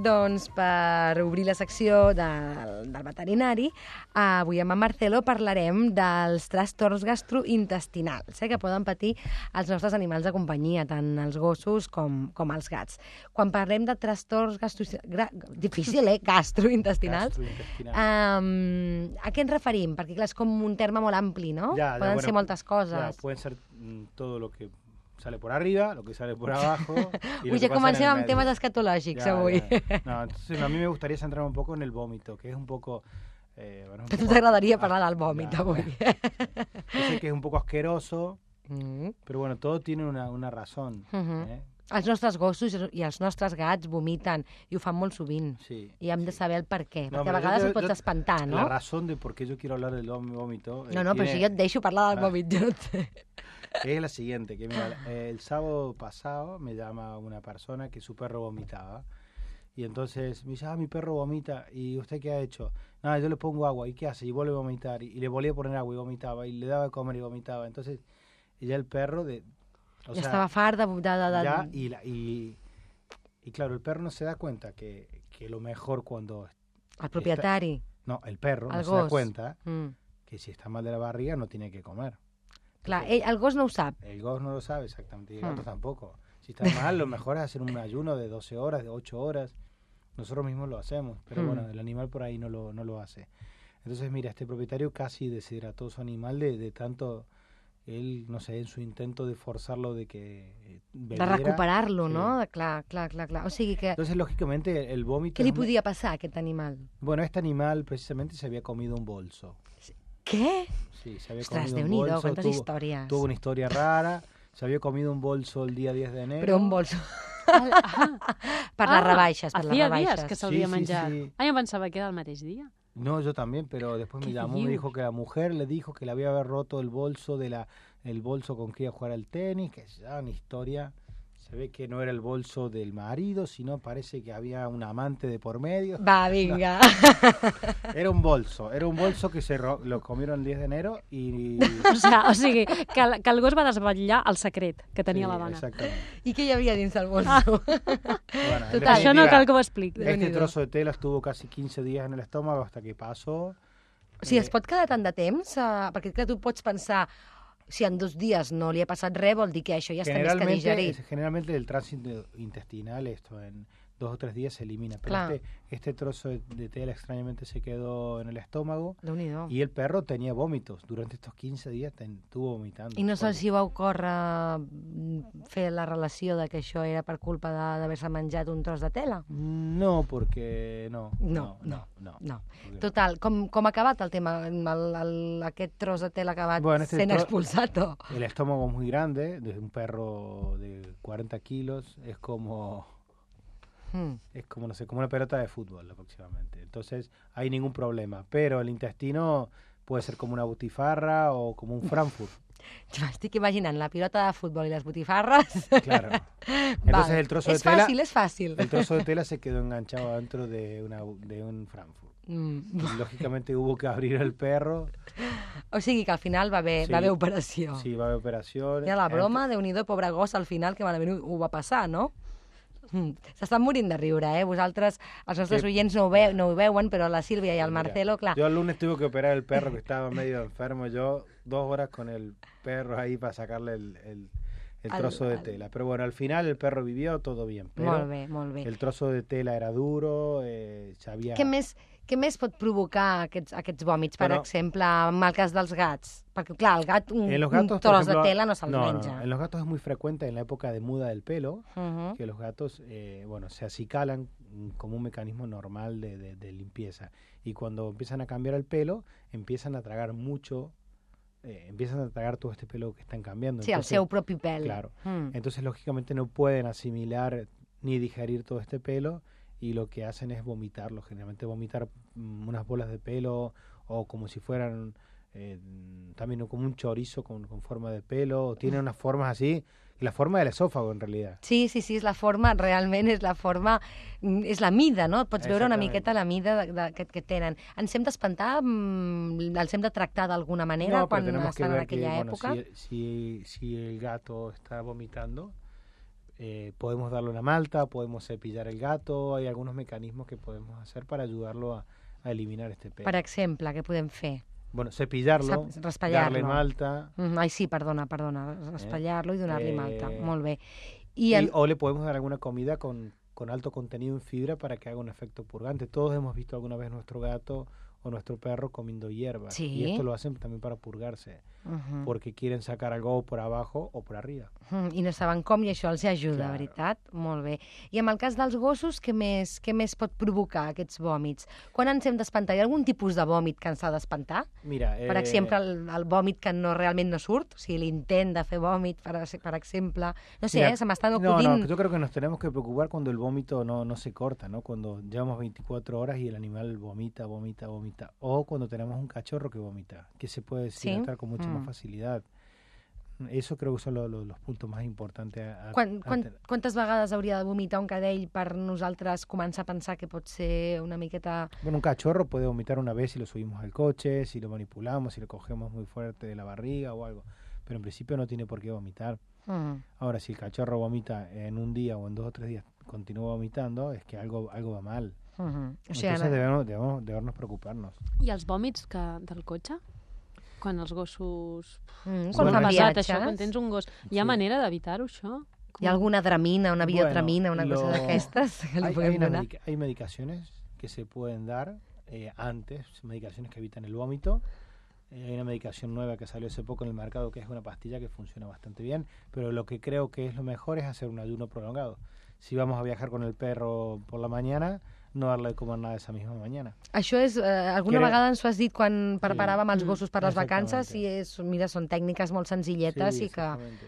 [SPEAKER 2] Doncs per obrir la secció del, del veterinari, avui amb en Marcelo parlarem dels trastorns gastrointestinals eh, que poden patir els nostres animals de companyia, tant els gossos com, com els gats. Quan parlem de trastorns gastro... Gra... difícil, eh? gastrointestinals, um, a què ens referim? Perquè clar, és com un terme molt ampli, no?
[SPEAKER 6] Ja, ja,
[SPEAKER 2] poden
[SPEAKER 6] bueno,
[SPEAKER 2] ser moltes coses.
[SPEAKER 6] Ja, poden ser todo lo que... sale por arriba, lo que sale por abajo... Y
[SPEAKER 2] Uy, ya comencem amb temes escatològics
[SPEAKER 6] ya,
[SPEAKER 2] avui.
[SPEAKER 6] Ya. No, entonces a mí me gustaría centrar un poco en el vómito, que es un poco... Eh, bueno, un
[SPEAKER 2] a tu
[SPEAKER 6] poco...
[SPEAKER 2] t'agradaria parlar del vòmit
[SPEAKER 6] ya,
[SPEAKER 2] avui.
[SPEAKER 6] Yo sé que es un poco asqueroso,
[SPEAKER 2] mm.
[SPEAKER 6] pero bueno, todo tiene una, una razón.
[SPEAKER 2] Uh-huh.
[SPEAKER 6] ¿eh?
[SPEAKER 2] Els nostres gossos i els nostres gats vomiten i ho fan molt sovint.
[SPEAKER 6] Sí,
[SPEAKER 2] I hem
[SPEAKER 6] sí.
[SPEAKER 2] de saber el per què,
[SPEAKER 6] No,
[SPEAKER 2] perquè a
[SPEAKER 6] pero yo
[SPEAKER 2] vegades
[SPEAKER 6] te-
[SPEAKER 2] et pots
[SPEAKER 6] yo-
[SPEAKER 2] espantar, no?
[SPEAKER 6] La razón de por qué yo quiero hablar del vómito... eh,
[SPEAKER 2] No, no, però
[SPEAKER 6] tiene-
[SPEAKER 2] si jo et deixo parlar del
[SPEAKER 6] Ah.
[SPEAKER 2] vòmit, jo no sé.
[SPEAKER 6] es la siguiente, que mira, eh, el sábado pasado me llama una persona que su perro vomitaba. Y entonces me dice, ah, mi perro vomita. ¿Y usted qué ha hecho? Nada, yo le pongo agua. ¿Y qué hace? Y vuelve a vomitar. Y, y le volví a poner agua y vomitaba. Y le daba de comer y vomitaba. Entonces, y ya el perro de... O
[SPEAKER 2] Ja
[SPEAKER 6] sea,
[SPEAKER 2] estava fart de... de, de, de...
[SPEAKER 6] ya, y, la- y, y claro, el perro no se da cuenta que, que lo mejor cuando...
[SPEAKER 2] El propietari.
[SPEAKER 6] No, el perro
[SPEAKER 2] El
[SPEAKER 6] no se da
[SPEAKER 2] gos.
[SPEAKER 6] cuenta
[SPEAKER 2] Mm.
[SPEAKER 6] que si está mal de la barriga no tiene que comer.
[SPEAKER 2] Clar, ell, el gos no ho sap.
[SPEAKER 6] El gos no lo sabe exactamente, y el gato
[SPEAKER 2] Hmm.
[SPEAKER 6] tampoco. Si está mal, lo mejor es hacer un ayuno de doce horas, de ocho horas. Nosotros mismos lo hacemos, pero
[SPEAKER 2] Hmm.
[SPEAKER 6] bueno, el animal por ahí no lo, no lo hace. Entonces, mira, este propietario casi deshidrató su animal de, de tanto, él, no sé, en su intento de forzarlo de que eh,
[SPEAKER 2] De
[SPEAKER 6] bebiera.
[SPEAKER 2] recuperar-lo,
[SPEAKER 6] Sí.
[SPEAKER 2] no? De, clar, clar, clar, clar. O sigui que...
[SPEAKER 6] Entonces, lógicamente, el vómito...
[SPEAKER 2] Què li
[SPEAKER 6] es una-
[SPEAKER 2] podia passar a aquest animal?
[SPEAKER 6] Bueno, este animal precisamente se había comido un bolso.
[SPEAKER 2] Què?
[SPEAKER 6] Sí, se había
[SPEAKER 2] Ostres,
[SPEAKER 6] comido un
[SPEAKER 2] Déu-n'hi-do,
[SPEAKER 6] bolso.
[SPEAKER 2] quantes
[SPEAKER 6] tuvo,
[SPEAKER 2] històries.
[SPEAKER 6] tuvo una historia rara. Se había comido un bolso el día diez de enero.
[SPEAKER 2] Però un bolso.
[SPEAKER 4] Ah,
[SPEAKER 2] Per les rebaixes, per les
[SPEAKER 4] Hacía
[SPEAKER 2] rebaixes.
[SPEAKER 4] días que se l'havia
[SPEAKER 6] Sí, sí,
[SPEAKER 4] menjat.
[SPEAKER 6] sí.
[SPEAKER 4] Ah, jo pensava que era el mateix dia.
[SPEAKER 6] No, yo también, pero después me
[SPEAKER 4] ¿Qué
[SPEAKER 6] llamó, me
[SPEAKER 4] dius?
[SPEAKER 6] dijo que la mujer le dijo que le había haber roto el bolso de la el bolso con que iba a jugar al tenis, que es ya una historia. Se ve que no era el bolso del marido, sino parece que había un amante de por medio.
[SPEAKER 2] Va, vinga.
[SPEAKER 6] Era un bolso, era un bolso que se ro- lo comieron el diez de enero y...
[SPEAKER 4] O, sigui, o sigui que, el, que el gos va desvetllar el secret que tenia
[SPEAKER 6] Sí,
[SPEAKER 4] la dona.
[SPEAKER 6] exactamente.
[SPEAKER 2] I què hi havia dins del bolso?
[SPEAKER 6] Bueno, en
[SPEAKER 2] Total,
[SPEAKER 4] Això no
[SPEAKER 6] definitiva,
[SPEAKER 4] cal que ho expliqui.
[SPEAKER 6] Este
[SPEAKER 2] Déu-n'hi-do.
[SPEAKER 6] trozo de tela estuvo casi quince días en el estómago hasta que pasó.
[SPEAKER 2] O sigui,
[SPEAKER 6] Eh,
[SPEAKER 2] es pot quedar tant de temps? Uh, perquè clar, tu pots pensar, si en dos dies no li ha passat res, vol dir que això ja està més que
[SPEAKER 6] Generalmente,
[SPEAKER 2] digerit.
[SPEAKER 6] generalmente el tránsito intestinal, esto en dos o tres días se elimina. Pero
[SPEAKER 2] Claro.
[SPEAKER 6] este, este trozo de, de tela extrañamente se quedó en el estómago
[SPEAKER 2] Déu-n'hi-do.
[SPEAKER 6] y el perro tenía vómitos. Durante estos quince días ten- estuvo vomitando.
[SPEAKER 2] I no
[SPEAKER 6] Porque-
[SPEAKER 2] se'ls hi va ocórrer mm, fer la relació de que això era per culpa de- d'haver-se menjat un tros de tela?
[SPEAKER 6] No, porque no.
[SPEAKER 2] No,
[SPEAKER 6] no, no.
[SPEAKER 2] No.
[SPEAKER 6] Porque no.
[SPEAKER 2] Total, com, com ha acabat el tema? El, el, aquest tros de tela ha acabat
[SPEAKER 6] Bueno, este
[SPEAKER 2] sent
[SPEAKER 6] tro-
[SPEAKER 2] expulsat o...
[SPEAKER 6] El estómago es muy grande, de un perro de cuarenta kilos, es como...
[SPEAKER 2] Mm.
[SPEAKER 6] Es como, no sé, como una pelota de fútbol aproximadamente. Entonces, hay ningún problema. Pero el intestino puede ser como una butifarra o como un Frankfurt.
[SPEAKER 2] M'estic imaginant la pilota de futbol i les botifarres.
[SPEAKER 6] Claro. Entonces, el trozo de
[SPEAKER 2] és
[SPEAKER 6] tela...
[SPEAKER 2] fàcil, és fàcil.
[SPEAKER 6] El trozo de tela se quedó enganchado dentro de, una, de un Frankfurt.
[SPEAKER 2] Mm.
[SPEAKER 6] Y, lógicamente hubo que abrir el perro.
[SPEAKER 2] O sigui que al final va haver,
[SPEAKER 6] Sí.
[SPEAKER 2] va haver operació.
[SPEAKER 6] Sí, va a haber operación.
[SPEAKER 2] Era la broma, Déu-n'hi-do, pobre gos, al final, que malament ho, ho va passar, no? Mm. S'estan morint de riure, eh? Vosaltres, els nostres
[SPEAKER 6] Sí.
[SPEAKER 2] oients no ho, veu, no ho veuen, però la Sílvia i el
[SPEAKER 6] Mira,
[SPEAKER 2] Marcelo, clar...
[SPEAKER 6] Yo el lunes tuve que operar el perro que estaba medio enfermo. Yo dos horas con el perro ahí para sacarle el, el, el
[SPEAKER 2] Al-
[SPEAKER 6] trozo de
[SPEAKER 2] al-
[SPEAKER 6] tela. Pero bueno, al final el perro vivió, todo bien. Pero
[SPEAKER 2] Molt bé, molt bé.
[SPEAKER 6] el trozo de tela era duro, eh, sabía...
[SPEAKER 2] Què més, què més pot provocar aquests, aquests vòmits, per
[SPEAKER 6] Bueno,
[SPEAKER 2] exemple, en el cas dels gats? Perquè, clar, el gat, un,
[SPEAKER 6] En los
[SPEAKER 2] un
[SPEAKER 6] gatos, por
[SPEAKER 2] tros
[SPEAKER 6] ejemplo,
[SPEAKER 2] de tela no se'l
[SPEAKER 6] no, no,
[SPEAKER 2] menja.
[SPEAKER 6] no, en los gatos es muy frecuente en la época de muda del pelo
[SPEAKER 2] Uh -huh.
[SPEAKER 6] que los gatos, eh, bueno, se acicalan mm, como un mecanismo normal de, de- de limpieza. Y cuando empiezan a cambiar el pelo, empiezan a tragar mucho, eh, empiezan a tragar todo este pelo que están cambiando.
[SPEAKER 2] Sí, el
[SPEAKER 6] Entonces,
[SPEAKER 2] seu propi pèl.
[SPEAKER 6] Claro.
[SPEAKER 2] Mm.
[SPEAKER 6] Entonces, lógicamente, no pueden asimilar ni digerir todo este pelo y lo que hacen es vomitarlo. Generalmente vomitar mm, unas bolas de pelo o como si fueran eh, también como un chorizo con, con forma de pelo. O tienen unas formas así, la forma del esófago en realidad.
[SPEAKER 2] Sí, sí, sí, és la forma, realment és la forma, mm, és la mida, no? Pots veure una
[SPEAKER 6] Exactament.
[SPEAKER 2] miqueta la mida de, de, que, que tenen. Ens hem d'espantar, mm, els hem de tractar d'alguna manera
[SPEAKER 6] No, pero
[SPEAKER 2] quan
[SPEAKER 6] tenemos que
[SPEAKER 2] estan en
[SPEAKER 6] ver que
[SPEAKER 2] aquella
[SPEAKER 6] bueno,
[SPEAKER 2] època?
[SPEAKER 6] si, si, si el gato está vomitando, eh, podemos darle una malta, podemos cepillar el gato, hay algunos mecanismos que podemos hacer para ayudarlo a, a eliminar este pelo.
[SPEAKER 2] Per exemple, què podem fer?
[SPEAKER 6] Bueno, cepillarlo,
[SPEAKER 2] Sap- raspallar-lo.
[SPEAKER 6] darle malta,
[SPEAKER 2] Mm, ai, sí, perdona, perdona, raspallar-lo i donar-li
[SPEAKER 6] Eh,
[SPEAKER 2] malta. Molt bé. I,
[SPEAKER 6] y-
[SPEAKER 2] en...
[SPEAKER 6] o le podemos dar alguna comida con, con alto contenido en fibra para que haga un efecto purgante. Todos hemos visto alguna vez nuestro gato o nuestro perro comiendo hierbas.
[SPEAKER 2] Sí.
[SPEAKER 6] Y esto lo hacen también para purgarse, uh-huh. porque quieren sacar algo por abajo o por arriba.
[SPEAKER 2] Uh-huh. I no saben com i això els ajuda,
[SPEAKER 6] Clar.
[SPEAKER 2] veritat? Molt bé. I en el cas dels gossos, què més, què més pot provocar aquests vòmits? Quan ens hem d'espantar? Hi ha algun tipus de vòmit que ens ha d'espantar?
[SPEAKER 6] Mira, eh...
[SPEAKER 2] Per exemple, el, el vòmit que no realment no surt, o sigui, l'intent de fer vòmit, per, per exemple. No sé,
[SPEAKER 6] Mira,
[SPEAKER 2] eh, se m'estan ocurrint...
[SPEAKER 6] No, no, yo creo que nos tenemos que preocupar cuando el vómito no, no se corta, ¿no? Cuando llevamos veinticuatro horas y el animal vomita, vomita, vomita. O cuando tenemos un cachorro que vomita, que se puede deshidratar ¿Sí? con mucha mm. más facilidad. Eso creo que son lo, lo, los puntos más importantes. A,
[SPEAKER 2] Quan,
[SPEAKER 6] a
[SPEAKER 2] quan, quantes vegades hauria de vomitar un cadell per nosaltres començar a pensar que pot ser una miqueta...
[SPEAKER 6] Bueno, un cachorro puede vomitar una vez si lo subimos al coche, si lo manipulamos, si lo cogemos muy fuerte de la barriga o algo. Pero en principio no tiene por qué vomitar. Uh-huh. Ahora, si el cachorro vomita en un día o en dos o tres días, continúa vomitando, es que algo, algo va mal. Uh-huh. O sea, Entonces no... debemos, debemos, debemos preocuparnos.
[SPEAKER 4] I els vòmits que, del cotxe? Quan els gossos...
[SPEAKER 2] Mm, quan fan viatges.
[SPEAKER 4] Això, quan tens un gos... Hi ha sí. manera d'evitar-ho, això?
[SPEAKER 2] Com... ¿Hi ha alguna dramina, una biotramina,
[SPEAKER 6] bueno,
[SPEAKER 2] una
[SPEAKER 6] lo...
[SPEAKER 2] cosa d'aquestes que li
[SPEAKER 6] hay,
[SPEAKER 2] puguem
[SPEAKER 6] hay
[SPEAKER 2] donar?
[SPEAKER 6] Medica hay medicaciones que se pueden dar eh, antes, medicaciones que evitan el vómito. Eh, hay una medicación nueva que salió hace poco en el mercado que es una pastilla que funciona bastante bien, pero lo que creo que es lo mejor es hacer un ayuno prolongado. Si vamos a viajar con el perro por la mañana, no darle de comer nada esa misma mañana.
[SPEAKER 2] Això és, eh, alguna
[SPEAKER 6] Crec...
[SPEAKER 2] vegada ens ho has dit quan preparàvem els gossos per les vacances i és, mira, són tècniques molt senzilletes
[SPEAKER 6] sí,
[SPEAKER 2] i que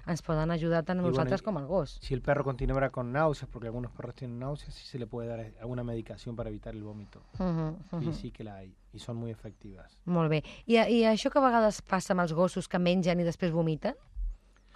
[SPEAKER 2] ens poden ajudar tant a nosaltres
[SPEAKER 6] bueno,
[SPEAKER 2] com al gos.
[SPEAKER 6] Si el perro continuará con náuseas, porque algunos perros tienen náuseas, sí se le puede dar alguna medicación para evitar el vómito. Uh-huh, uh-huh. Sí, sí que la hay i són molt efectives.
[SPEAKER 2] Molt bé. I, I això que a vegades passa amb els gossos que mengen i després vomiten?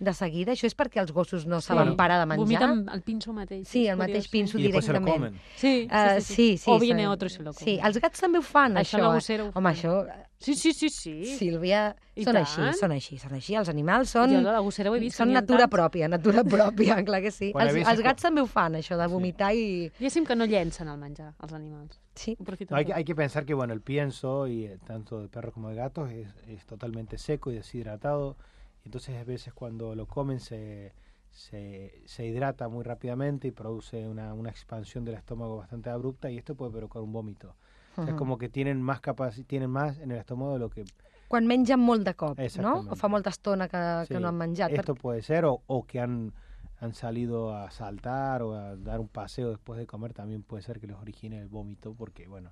[SPEAKER 2] De seguida, això és perquè els gossos no sí. saben parar de menjar?
[SPEAKER 4] Vomiten el pinso mateix.
[SPEAKER 2] Sí, el mateix pinso
[SPEAKER 6] I
[SPEAKER 2] directament.
[SPEAKER 4] Sí, sí,
[SPEAKER 2] uh,
[SPEAKER 4] sí, sí.
[SPEAKER 2] sí, sí.
[SPEAKER 4] O viene otro i se lo come.
[SPEAKER 2] Sí, els gats també ho fan,
[SPEAKER 4] això.
[SPEAKER 2] Això
[SPEAKER 4] la gossera ho
[SPEAKER 2] Home,
[SPEAKER 4] fan.
[SPEAKER 2] això...
[SPEAKER 4] Sí, sí, sí, sí.
[SPEAKER 2] Sílvia,
[SPEAKER 4] I
[SPEAKER 2] són
[SPEAKER 4] tant.
[SPEAKER 2] així, són així, són així. Els animals són...
[SPEAKER 4] Jo la gossera ho he vist.
[SPEAKER 2] Són natura pròpia, natura pròpia, clar que sí.
[SPEAKER 6] Bueno,
[SPEAKER 2] els, els gats també ho fan, això de vomitar sí. i...
[SPEAKER 4] Diguéssim que no llencen el menjar, els animals.
[SPEAKER 2] Sí.
[SPEAKER 6] No, hay, hay que pensar que, bueno, el pienso, y eh, tanto de perros como de gatos, es, es totalmente seco y deshidratado. Entonces, a veces cuando lo comen se, se, se hidrata muy rápidamente y produce una, una expansión del estómago bastante abrupta y esto puede provocar un vómito. Uh-huh. O sea, es como que tienen más capac- tienen más en el estómago de lo que...
[SPEAKER 2] Quan mengen molt de cop, no? O fa molta estona que,
[SPEAKER 6] sí.
[SPEAKER 2] que no han menjat.
[SPEAKER 6] Esto puede ser, o, o que han, han salido a saltar o a dar un paseo después de comer, también puede ser que les origine el vómito, porque, bueno,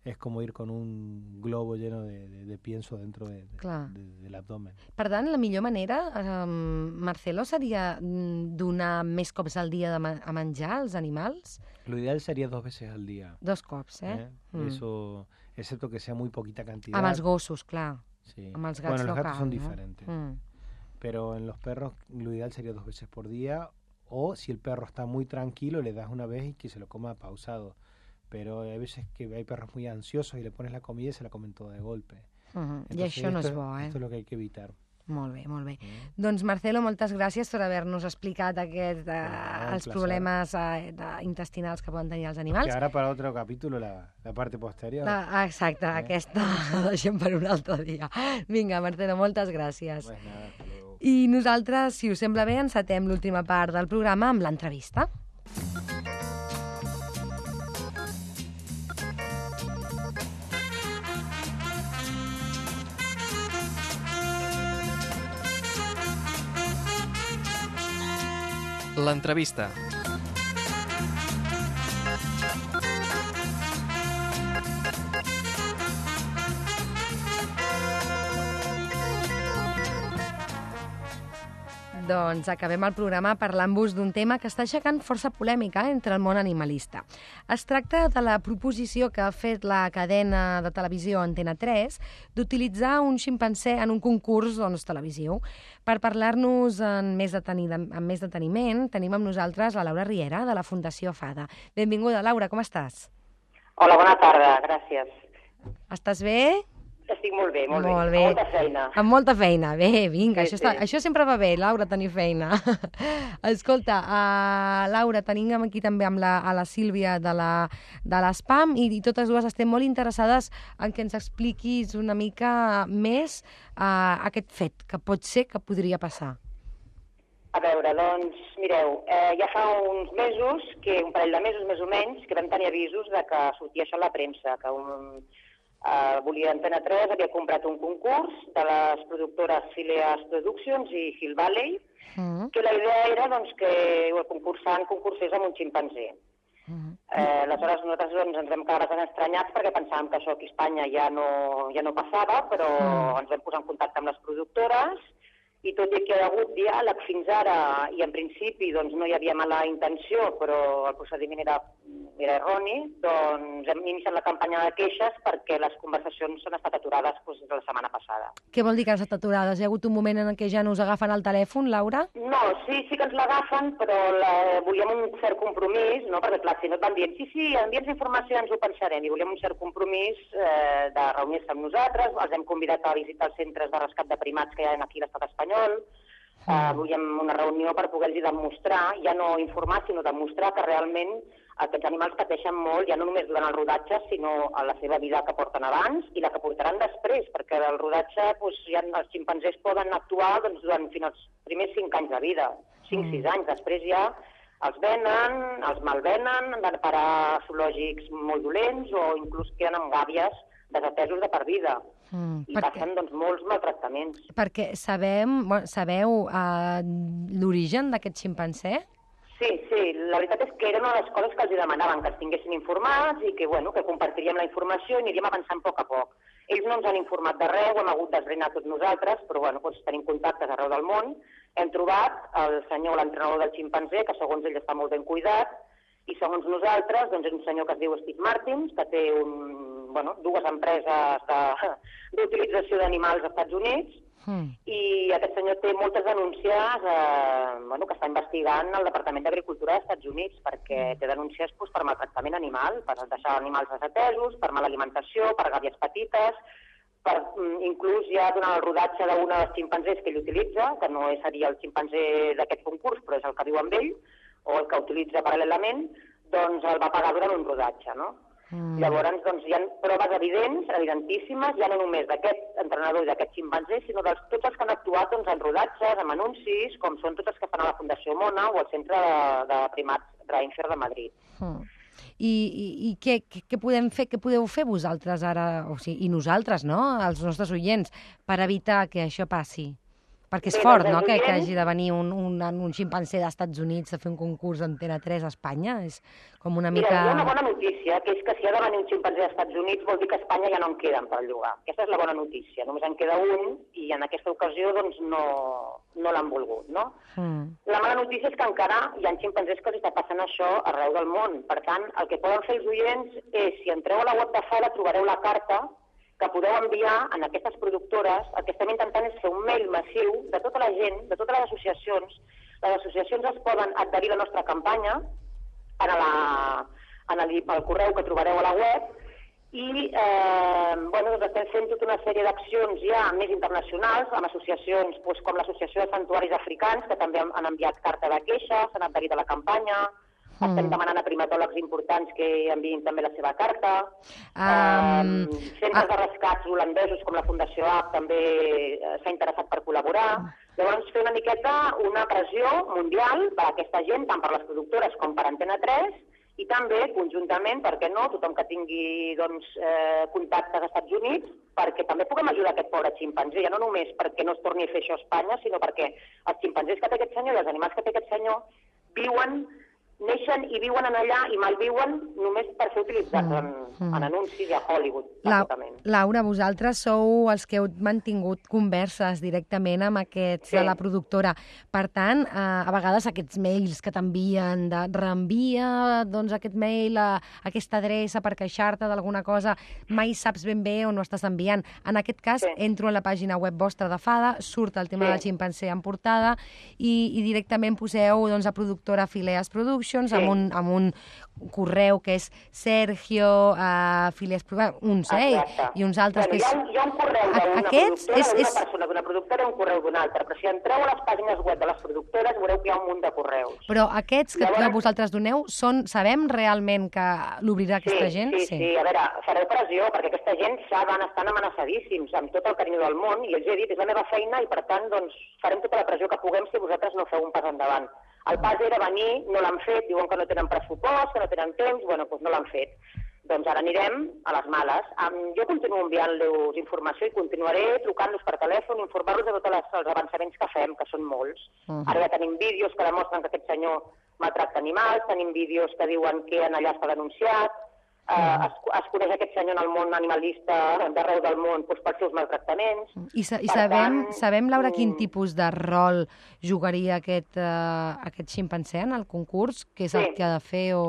[SPEAKER 6] es como ir con un globo lleno de, de, de pienso dentro de, de, de, del abdomen.
[SPEAKER 2] Per tant, la millor manera, eh, Marcelo, seria donar més cops al dia de ma- a menjar als animals?
[SPEAKER 6] Lo ideal sería dos veces al día.
[SPEAKER 2] Dos cops, eh?
[SPEAKER 6] ¿eh? Mm. Eso, excepto que sea muy poquita cantidad.
[SPEAKER 2] Amb els gossos, clar.
[SPEAKER 6] Sí.
[SPEAKER 2] Amb els gats
[SPEAKER 6] bueno, los
[SPEAKER 2] no
[SPEAKER 6] gatos
[SPEAKER 2] cal,
[SPEAKER 6] son
[SPEAKER 2] no?
[SPEAKER 6] diferentes.
[SPEAKER 2] Mm.
[SPEAKER 6] Pero en los perros lo ideal sería dos veces por día, o si el perro está muy tranquilo, le das una vez y que se lo coma pausado. Pero hay veces que hay perros muy ansiosos y le pones la comida y se la comen todo de golpe.
[SPEAKER 2] Uh-huh. I això no és bo, eh?
[SPEAKER 6] Esto es lo que hay que evitar.
[SPEAKER 2] Molt bé, molt bé.
[SPEAKER 6] Mm.
[SPEAKER 2] Doncs, Marcelo, moltes gràcies per haver-nos explicat aquest, eh,
[SPEAKER 6] Ah,
[SPEAKER 2] els problemes eh, de, intestinals que poden tenir els animals.
[SPEAKER 6] Que ara para otro capítulo la, la parte posterior.
[SPEAKER 2] La, exacte,
[SPEAKER 6] eh?
[SPEAKER 2] aquesta la deixem per un altre dia. Vinga, Marcelo, moltes gràcies.
[SPEAKER 6] Pues nada, hasta luego.
[SPEAKER 2] I nosaltres, si us sembla bé, encetem l'última part del programa amb l'entrevista.
[SPEAKER 1] L'entrevista.
[SPEAKER 2] Doncs acabem el programa parlant-vos d'un tema que està aixecant força polèmica entre el món animalista. Es tracta de la proposició que ha fet la cadena de televisió Antena tres d'utilitzar un ximpanzé en un concurs doncs, televisiu. Per parlar-nos amb més, deteni- amb més deteniment, tenim amb nosaltres la Laura Riera, de la Fundació FADA. Benvinguda, Laura, com estàs?
[SPEAKER 9] Hola, bona tarda, gràcies.
[SPEAKER 2] Estàs bé?
[SPEAKER 9] Estic molt bé, molt,
[SPEAKER 2] Molt
[SPEAKER 9] bé.
[SPEAKER 2] bé.
[SPEAKER 9] Amb molta feina.
[SPEAKER 2] Amb molta feina. Bé, vinga,
[SPEAKER 9] Sí,
[SPEAKER 2] això, està,
[SPEAKER 9] sí.
[SPEAKER 2] això sempre va bé, Laura, tenir feina. Escolta, uh, Laura, tenim aquí també amb la, a la Sílvia de la, de l'Spam i, i totes dues estem molt interessades en que ens expliquis una mica més uh, aquest fet, que pot ser que podria passar.
[SPEAKER 9] A veure, doncs, mireu, eh, ja fa uns mesos, que un parell de mesos més o menys, que vam tenir avisos de que sortia això a la premsa, que un, Uh, volia Antena tres, havia comprat un concurs de les productores Phileas Productions i Hill Valley, mm. que la idea era doncs, que el concursant concursés amb un ximpanzé. Mm. Eh, aleshores nosaltres doncs, ens vam quedar bastant estranyats perquè pensàvem que això aquí a Espanya ja no, ja no passava, però mm. ens vam posar en contacte amb les productores i tot i que hi ha hagut diàleg fins ara i en principi doncs, no hi havia mala intenció, però el procediment era, era erroni, doncs hem iniciat la campanya de queixes perquè les conversacions han estat aturades doncs, la setmana passada.
[SPEAKER 2] Què vol dir que han estat aturades? Hi ha hagut un moment en què ja no us agafen el telèfon, Laura?
[SPEAKER 9] No, sí, sí que ens l'agafen, però la, volíem un cert compromís, no? Perquè clar, si no et van dient, sí, sí, envia'ns informació, ens ho pensarem, i volíem un cert compromís eh, de reunir-se amb nosaltres, els hem convidat a visitar els centres de rescat de primats que hi ha aquí a l'estat espanyol. Uh, volíem una reunió per poder-los demostrar, ja no informar, sinó demostrar que realment aquests animals pateixen molt, ja no només durant el rodatge, sinó a la seva vida que porten abans i la que portaran després, perquè el rodatge, doncs, ja els ximpanzés poden actuar doncs, durant fins als primers cinc anys de vida, cinc sis anys, després ja els venen, els malvenen, han de parar a zoològics molt dolents o inclús queden amb gàbies desatesos de per vida. Mm, I perquè... passen doncs, molts maltractaments.
[SPEAKER 2] Perquè sabem, bueno, sabeu uh, l'origen d'aquest ximpanzé?
[SPEAKER 9] Sí, sí, la veritat és que era una de les coses que els demanaven, que els tinguessin informats i que, bueno, que compartiríem la informació i aniríem avançant a poc a poc. Ells no ens han informat de res, ho hem hagut d'esbrinar tots nosaltres, però bueno, doncs tenim contactes arreu del món. Hem trobat el senyor, l'entrenador del ximpanzé, que segons ell està molt ben cuidat, i segons nosaltres doncs, és un senyor que es diu Steve Martins, que té un, bueno, dues empreses d'utilització d'animals als Estats Units, mm. i aquest senyor té moltes denúncies eh, bueno, que està investigant el Departament d'Agricultura dels Estats Units, perquè té denúncies doncs, per maltractament animal, per deixar animals desatesos, per mala alimentació, per gàbies petites, per, inclús ja durant el rodatge d'un dels ximpanzés que ell utilitza, que no seria el ximpanzé d'aquest concurs, però és el que viu amb ell, o el que utilitza paral·lelament, doncs el va pagar durant un rodatge, no? Mm. Llavors, doncs, hi ha proves evidents, evidentíssimes, ja no només d'aquest entrenador i d'aquest ximpanzé, sinó de tots els que han actuat doncs, en rodatges, en anuncis, com són tots els que fan a la Fundació Mona o al Centre de, de Primats Reinfer de Madrid.
[SPEAKER 2] Mm. I, i, i què, què podem fer, què podeu fer vosaltres ara, o sigui, i nosaltres, no?, els nostres oients, per evitar que això passi? Perquè és Bé, fort, no?, que, que hagi de venir un, un, un ximpanzé dels Estats Units a fer un concurs d'Antena tres a Espanya. És com una mica...
[SPEAKER 9] Mira, hi ha una bona notícia, que és que si ha de venir un ximpanzé dels Estats Units vol dir que a Espanya ja no en queden per llogar. Aquesta és la bona notícia. Només en queda un i en aquesta ocasió doncs, no, no l'han volgut, no? Mm. La mala notícia és que encara hi ha ximpanzés que els està passant això arreu del món. Per tant, el que poden fer els oients és, si entreu a la web de Fada, trobareu la carta que podeu enviar en aquestes productores. El que estem intentant és fer un mail massiu de tota la gent, de totes les associacions. Les associacions es poden adherir a la nostra campanya en, la, en el, el correu que trobareu a la web i eh, bueno, doncs estem fent tota una sèrie d'accions ja més internacionals amb associacions doncs, com l'Associació de Santuaris Africans, que també han enviat carta de queixa, s'han adherit a la campanya. Mm. Estem demanant a primatòlegs importants que enviïn també la seva carta. Um, um, centres ah. de rescats holandesos com la Fundació A P també s'ha interessat per col·laborar. Llavors, fer una miqueta una pressió mundial per a aquesta gent, tant per les productores com per Antena tres, i també, conjuntament, per què no, tothom que tingui doncs, eh, contactes als Estats Units, perquè també puguem ajudar aquest pobre ximpanzé, ja no només perquè no es torni a fer això a Espanya, sinó perquè els ximpanzés que té aquest senyor i els animals que té aquest senyor viuen, neixen i viuen en allà i malviuen només per ser utilitzats en, mm. en anuncis i a Hollywood, bàsicament.
[SPEAKER 2] La, Laura, vosaltres sou els que heu mantingut converses directament amb aquests sí. de la productora. Per tant, eh, a vegades aquests mails que t'envien de reenvia doncs, aquest mail a aquesta adreça per queixar-te d'alguna cosa, mai saps ben bé on ho estàs enviant. En aquest cas, sí. entro a la pàgina web vostra de Fada, surt el tema sí. del ximpanzé en portada i, i directament poseu doncs, a productora Phileas Productions, Sí. amb, un, amb un correu que és Sergio uh, Phileas Productions, uns, eh? I uns altres
[SPEAKER 9] bueno,
[SPEAKER 2] que és...
[SPEAKER 9] Hi ha, hi ha un correu d'una productora, és, és... persona d'una productora i un correu d'una altra, però si entreu a les pàgines web de les productores veureu que hi ha un munt de correus.
[SPEAKER 2] Però aquests que Llavors... vosaltres doneu, són, sabem realment que l'obrirà
[SPEAKER 9] sí,
[SPEAKER 2] aquesta gent?
[SPEAKER 9] Sí, sí, sí, a veure, fareu pressió, perquè aquesta gent saben, estan amenaçadíssims amb tot el carinyo del món, i els he dit, és la meva feina, i per tant, doncs, farem tota la pressió que puguem si vosaltres no feu un pas endavant. El pas era venir, no l'han fet, diuen que no tenen pressupost, que no tenen temps, bueno, doncs no l'han fet. Doncs ara anirem a les males. Jo continuo enviant-los informació i continuaré trucant-los per telèfon, informar-los de tots els avançaments que fem, que són molts. Uh-huh. Ara ja tenim vídeos que demostren que aquest senyor maltracta animals, tenim vídeos que diuen que allà està denunciat, uh-huh. uh, es, es coneix aquest senyor en el món animalista d'arreu del món doncs, pels seus maltractaments.
[SPEAKER 2] I, sa i sabem, tant, sabem, Laura, quin tipus de rol jugaria aquest, uh, aquest ximpanzé en el concurs? Què és sí. el que ha de fer o...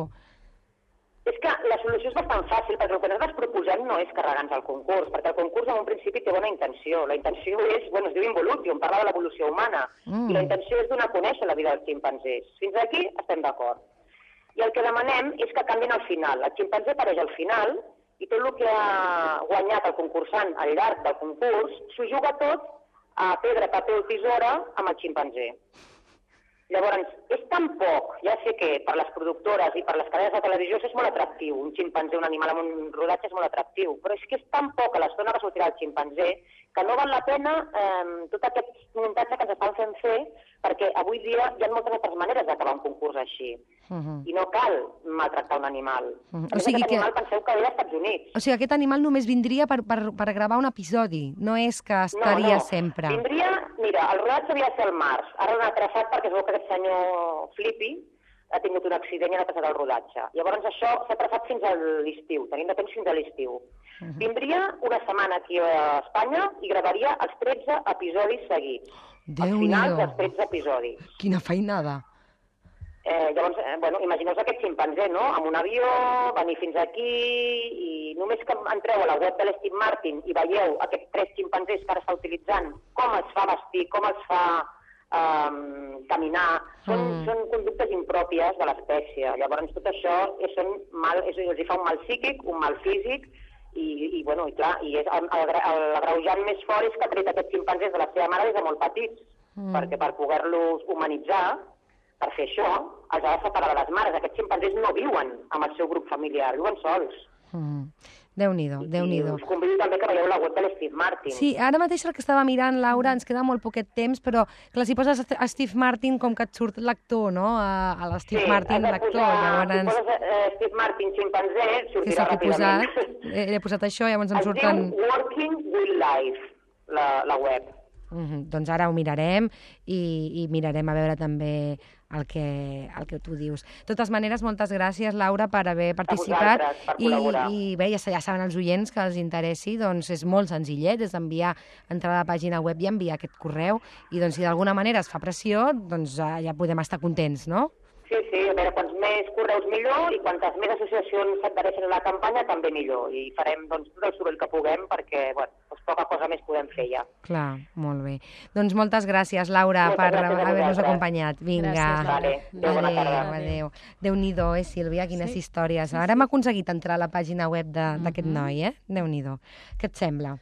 [SPEAKER 9] És que la solució és bastant fàcil, perquè el que nosaltres proposem no és carregar-nos al concurs, perquè el concurs en un principi té bona intenció. La intenció és, bueno, es diu Involution, parla de l'evolució humana, mm. i la intenció és donar a conèixer la vida dels ximpanzés. Fins aquí estem d'acord. I el que demanem és que canvien al final. El ximpanzé apareix al final i tot el que ha guanyat el concursant al llarg del concurs s'ho juga tot a pedra, paper o tisora amb el ximpanzé. Llavors, és tan poc, ja sé que per les productores i per les cadenes de televisió és molt atractiu, un ximpanzé, un animal amb un rodatge és molt atractiu, però és que és tan poc a l'estona que sortirà el ximpanzé que no val la pena eh, tot aquest muntatge que ens estan fent fer, perquè avui dia hi ha moltes altres maneres d'acabar un concurs així, uh-huh. i no cal maltractar un animal. Uh-huh. O sigui aquest que... animal penseu que ve als Estats Units.
[SPEAKER 2] O sigui, aquest animal només vindria per, per, per gravar un episodi, no és que estaria
[SPEAKER 9] no, no.
[SPEAKER 2] sempre.
[SPEAKER 9] Vindria, mira, el rodatge havia de ser al març, ara l'han atrasat perquè es veu que aquest senyor Flippy ha tingut un accident i ha atrasat el rodatge. Llavors això s'ha atrasat fins a l'estiu, tenim de temps fins a l'estiu. Uh-huh. Vindria una setmana aquí a Espanya i gravaria els tretze episodis seguits.
[SPEAKER 2] Déu-n'hi-do.
[SPEAKER 9] Els finals dels tretze episodis.
[SPEAKER 2] Quina feinada.
[SPEAKER 9] Eh, llavors, eh, bueno, imagineu-vos aquest ximpanzé, no?, amb un avió, venir fins aquí, i només que entreu a la web de l'Steve Martin i veieu aquests tres ximpanzés que ara està utilitzant, com els fa vestir, com els fa um, caminar, són, mm. són conductes impròpies de l'espècie. Llavors, tot això és, són mal, és, els fa un mal psíquic, un mal físic, i, i, bueno, i clar, i és el, el, el agreujant més fort és que ha tret aquests ximpanzés de la seva mare des de molt petits, mm. perquè per poder-los humanitzar, per fer això, els ha de separar de les mares. Aquests ximpanzés no viuen amb el seu grup familiar, viuen sols.
[SPEAKER 2] Mm. Déu-n'hi-do, Déu-n'hi-do.
[SPEAKER 9] I us convido també que veieu la web de l'Steve Martin.
[SPEAKER 2] Sí, ara mateix el que estava mirant, Laura, ens queda molt poquet temps, però clar, si poses a Steve Martin com que et surt l'actor, no?, a, a l'Steve
[SPEAKER 9] sí,
[SPEAKER 2] Martin, l'actor.
[SPEAKER 9] Llavors... Si poses uh, Steve Martin ximpanzé, sortirà ràpidament.
[SPEAKER 2] Posat, he, he posat això, llavors em surten...
[SPEAKER 9] Es diu Working Wildlife, la, la web.
[SPEAKER 2] Mm-hmm. Doncs ara ho mirarem i, i mirarem a veure també el que, el que tu dius. De totes maneres, moltes gràcies, Laura, per haver participat.
[SPEAKER 9] Per
[SPEAKER 2] I, i bé, ja, ja saben els oients que els interessi, doncs és molt senzillet, és enviar, entrar a la pàgina web i enviar aquest correu, i doncs si d'alguna manera es fa pressió, doncs ja podem estar contents, no?
[SPEAKER 9] Sí, sí, a veure, quants més correus millor i quantes més associacions s'adhereixen a la campanya també millor. I farem doncs, tot el soroll que puguem perquè, bueno, doncs, poca cosa més podem fer ja.
[SPEAKER 2] Clar, molt bé. Doncs moltes gràcies, Laura, moltes per haver-nos acompanyat. Vinga.
[SPEAKER 9] Gràcies, vale. Adéu, bona tarda.
[SPEAKER 2] Adéu. Déu-n'hi-do, eh, Sílvia, quines sí, històries. Sí, Ara hem aconseguit entrar a la pàgina web d'aquest uh-huh. noi, eh? Déu-n'hi-do. Què et sembla?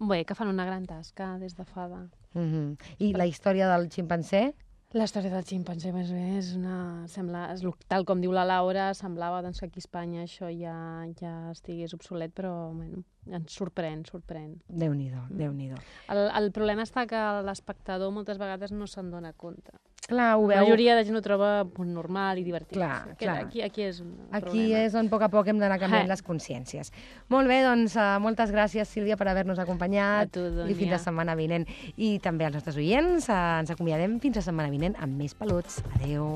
[SPEAKER 4] Bé, que fan una gran tasca des de fada.
[SPEAKER 2] Uh-huh. I la història del ximpanzé?
[SPEAKER 4] La història del ximpanzé, més bé, és una... Sembla, és, tal com diu la Laura, semblava doncs, que aquí a Espanya això ja, ja estigués obsolet, però bueno, ens sorprèn, sorprèn.
[SPEAKER 2] Déu-n'hi-do, Déu-n'hi-do.
[SPEAKER 4] El, el problema està que l'espectador moltes vegades no se'n dona compte.
[SPEAKER 2] Clar, ho veu...
[SPEAKER 4] La majoria de gent ho troba normal i divertit.
[SPEAKER 2] Clar,
[SPEAKER 4] aquí,
[SPEAKER 2] clar.
[SPEAKER 4] Aquí, aquí és un
[SPEAKER 2] aquí
[SPEAKER 4] problema.
[SPEAKER 2] és on a poc a poc hem d'anar canviant les consciències. Molt bé, doncs uh, moltes gràcies, Sílvia, per haver-nos acompanyat.
[SPEAKER 4] A tu, Dúnia.
[SPEAKER 2] I fins la setmana vinent. I també als nostres oients uh, ens acomiadem fins la setmana vinent amb més peluts. Adéu.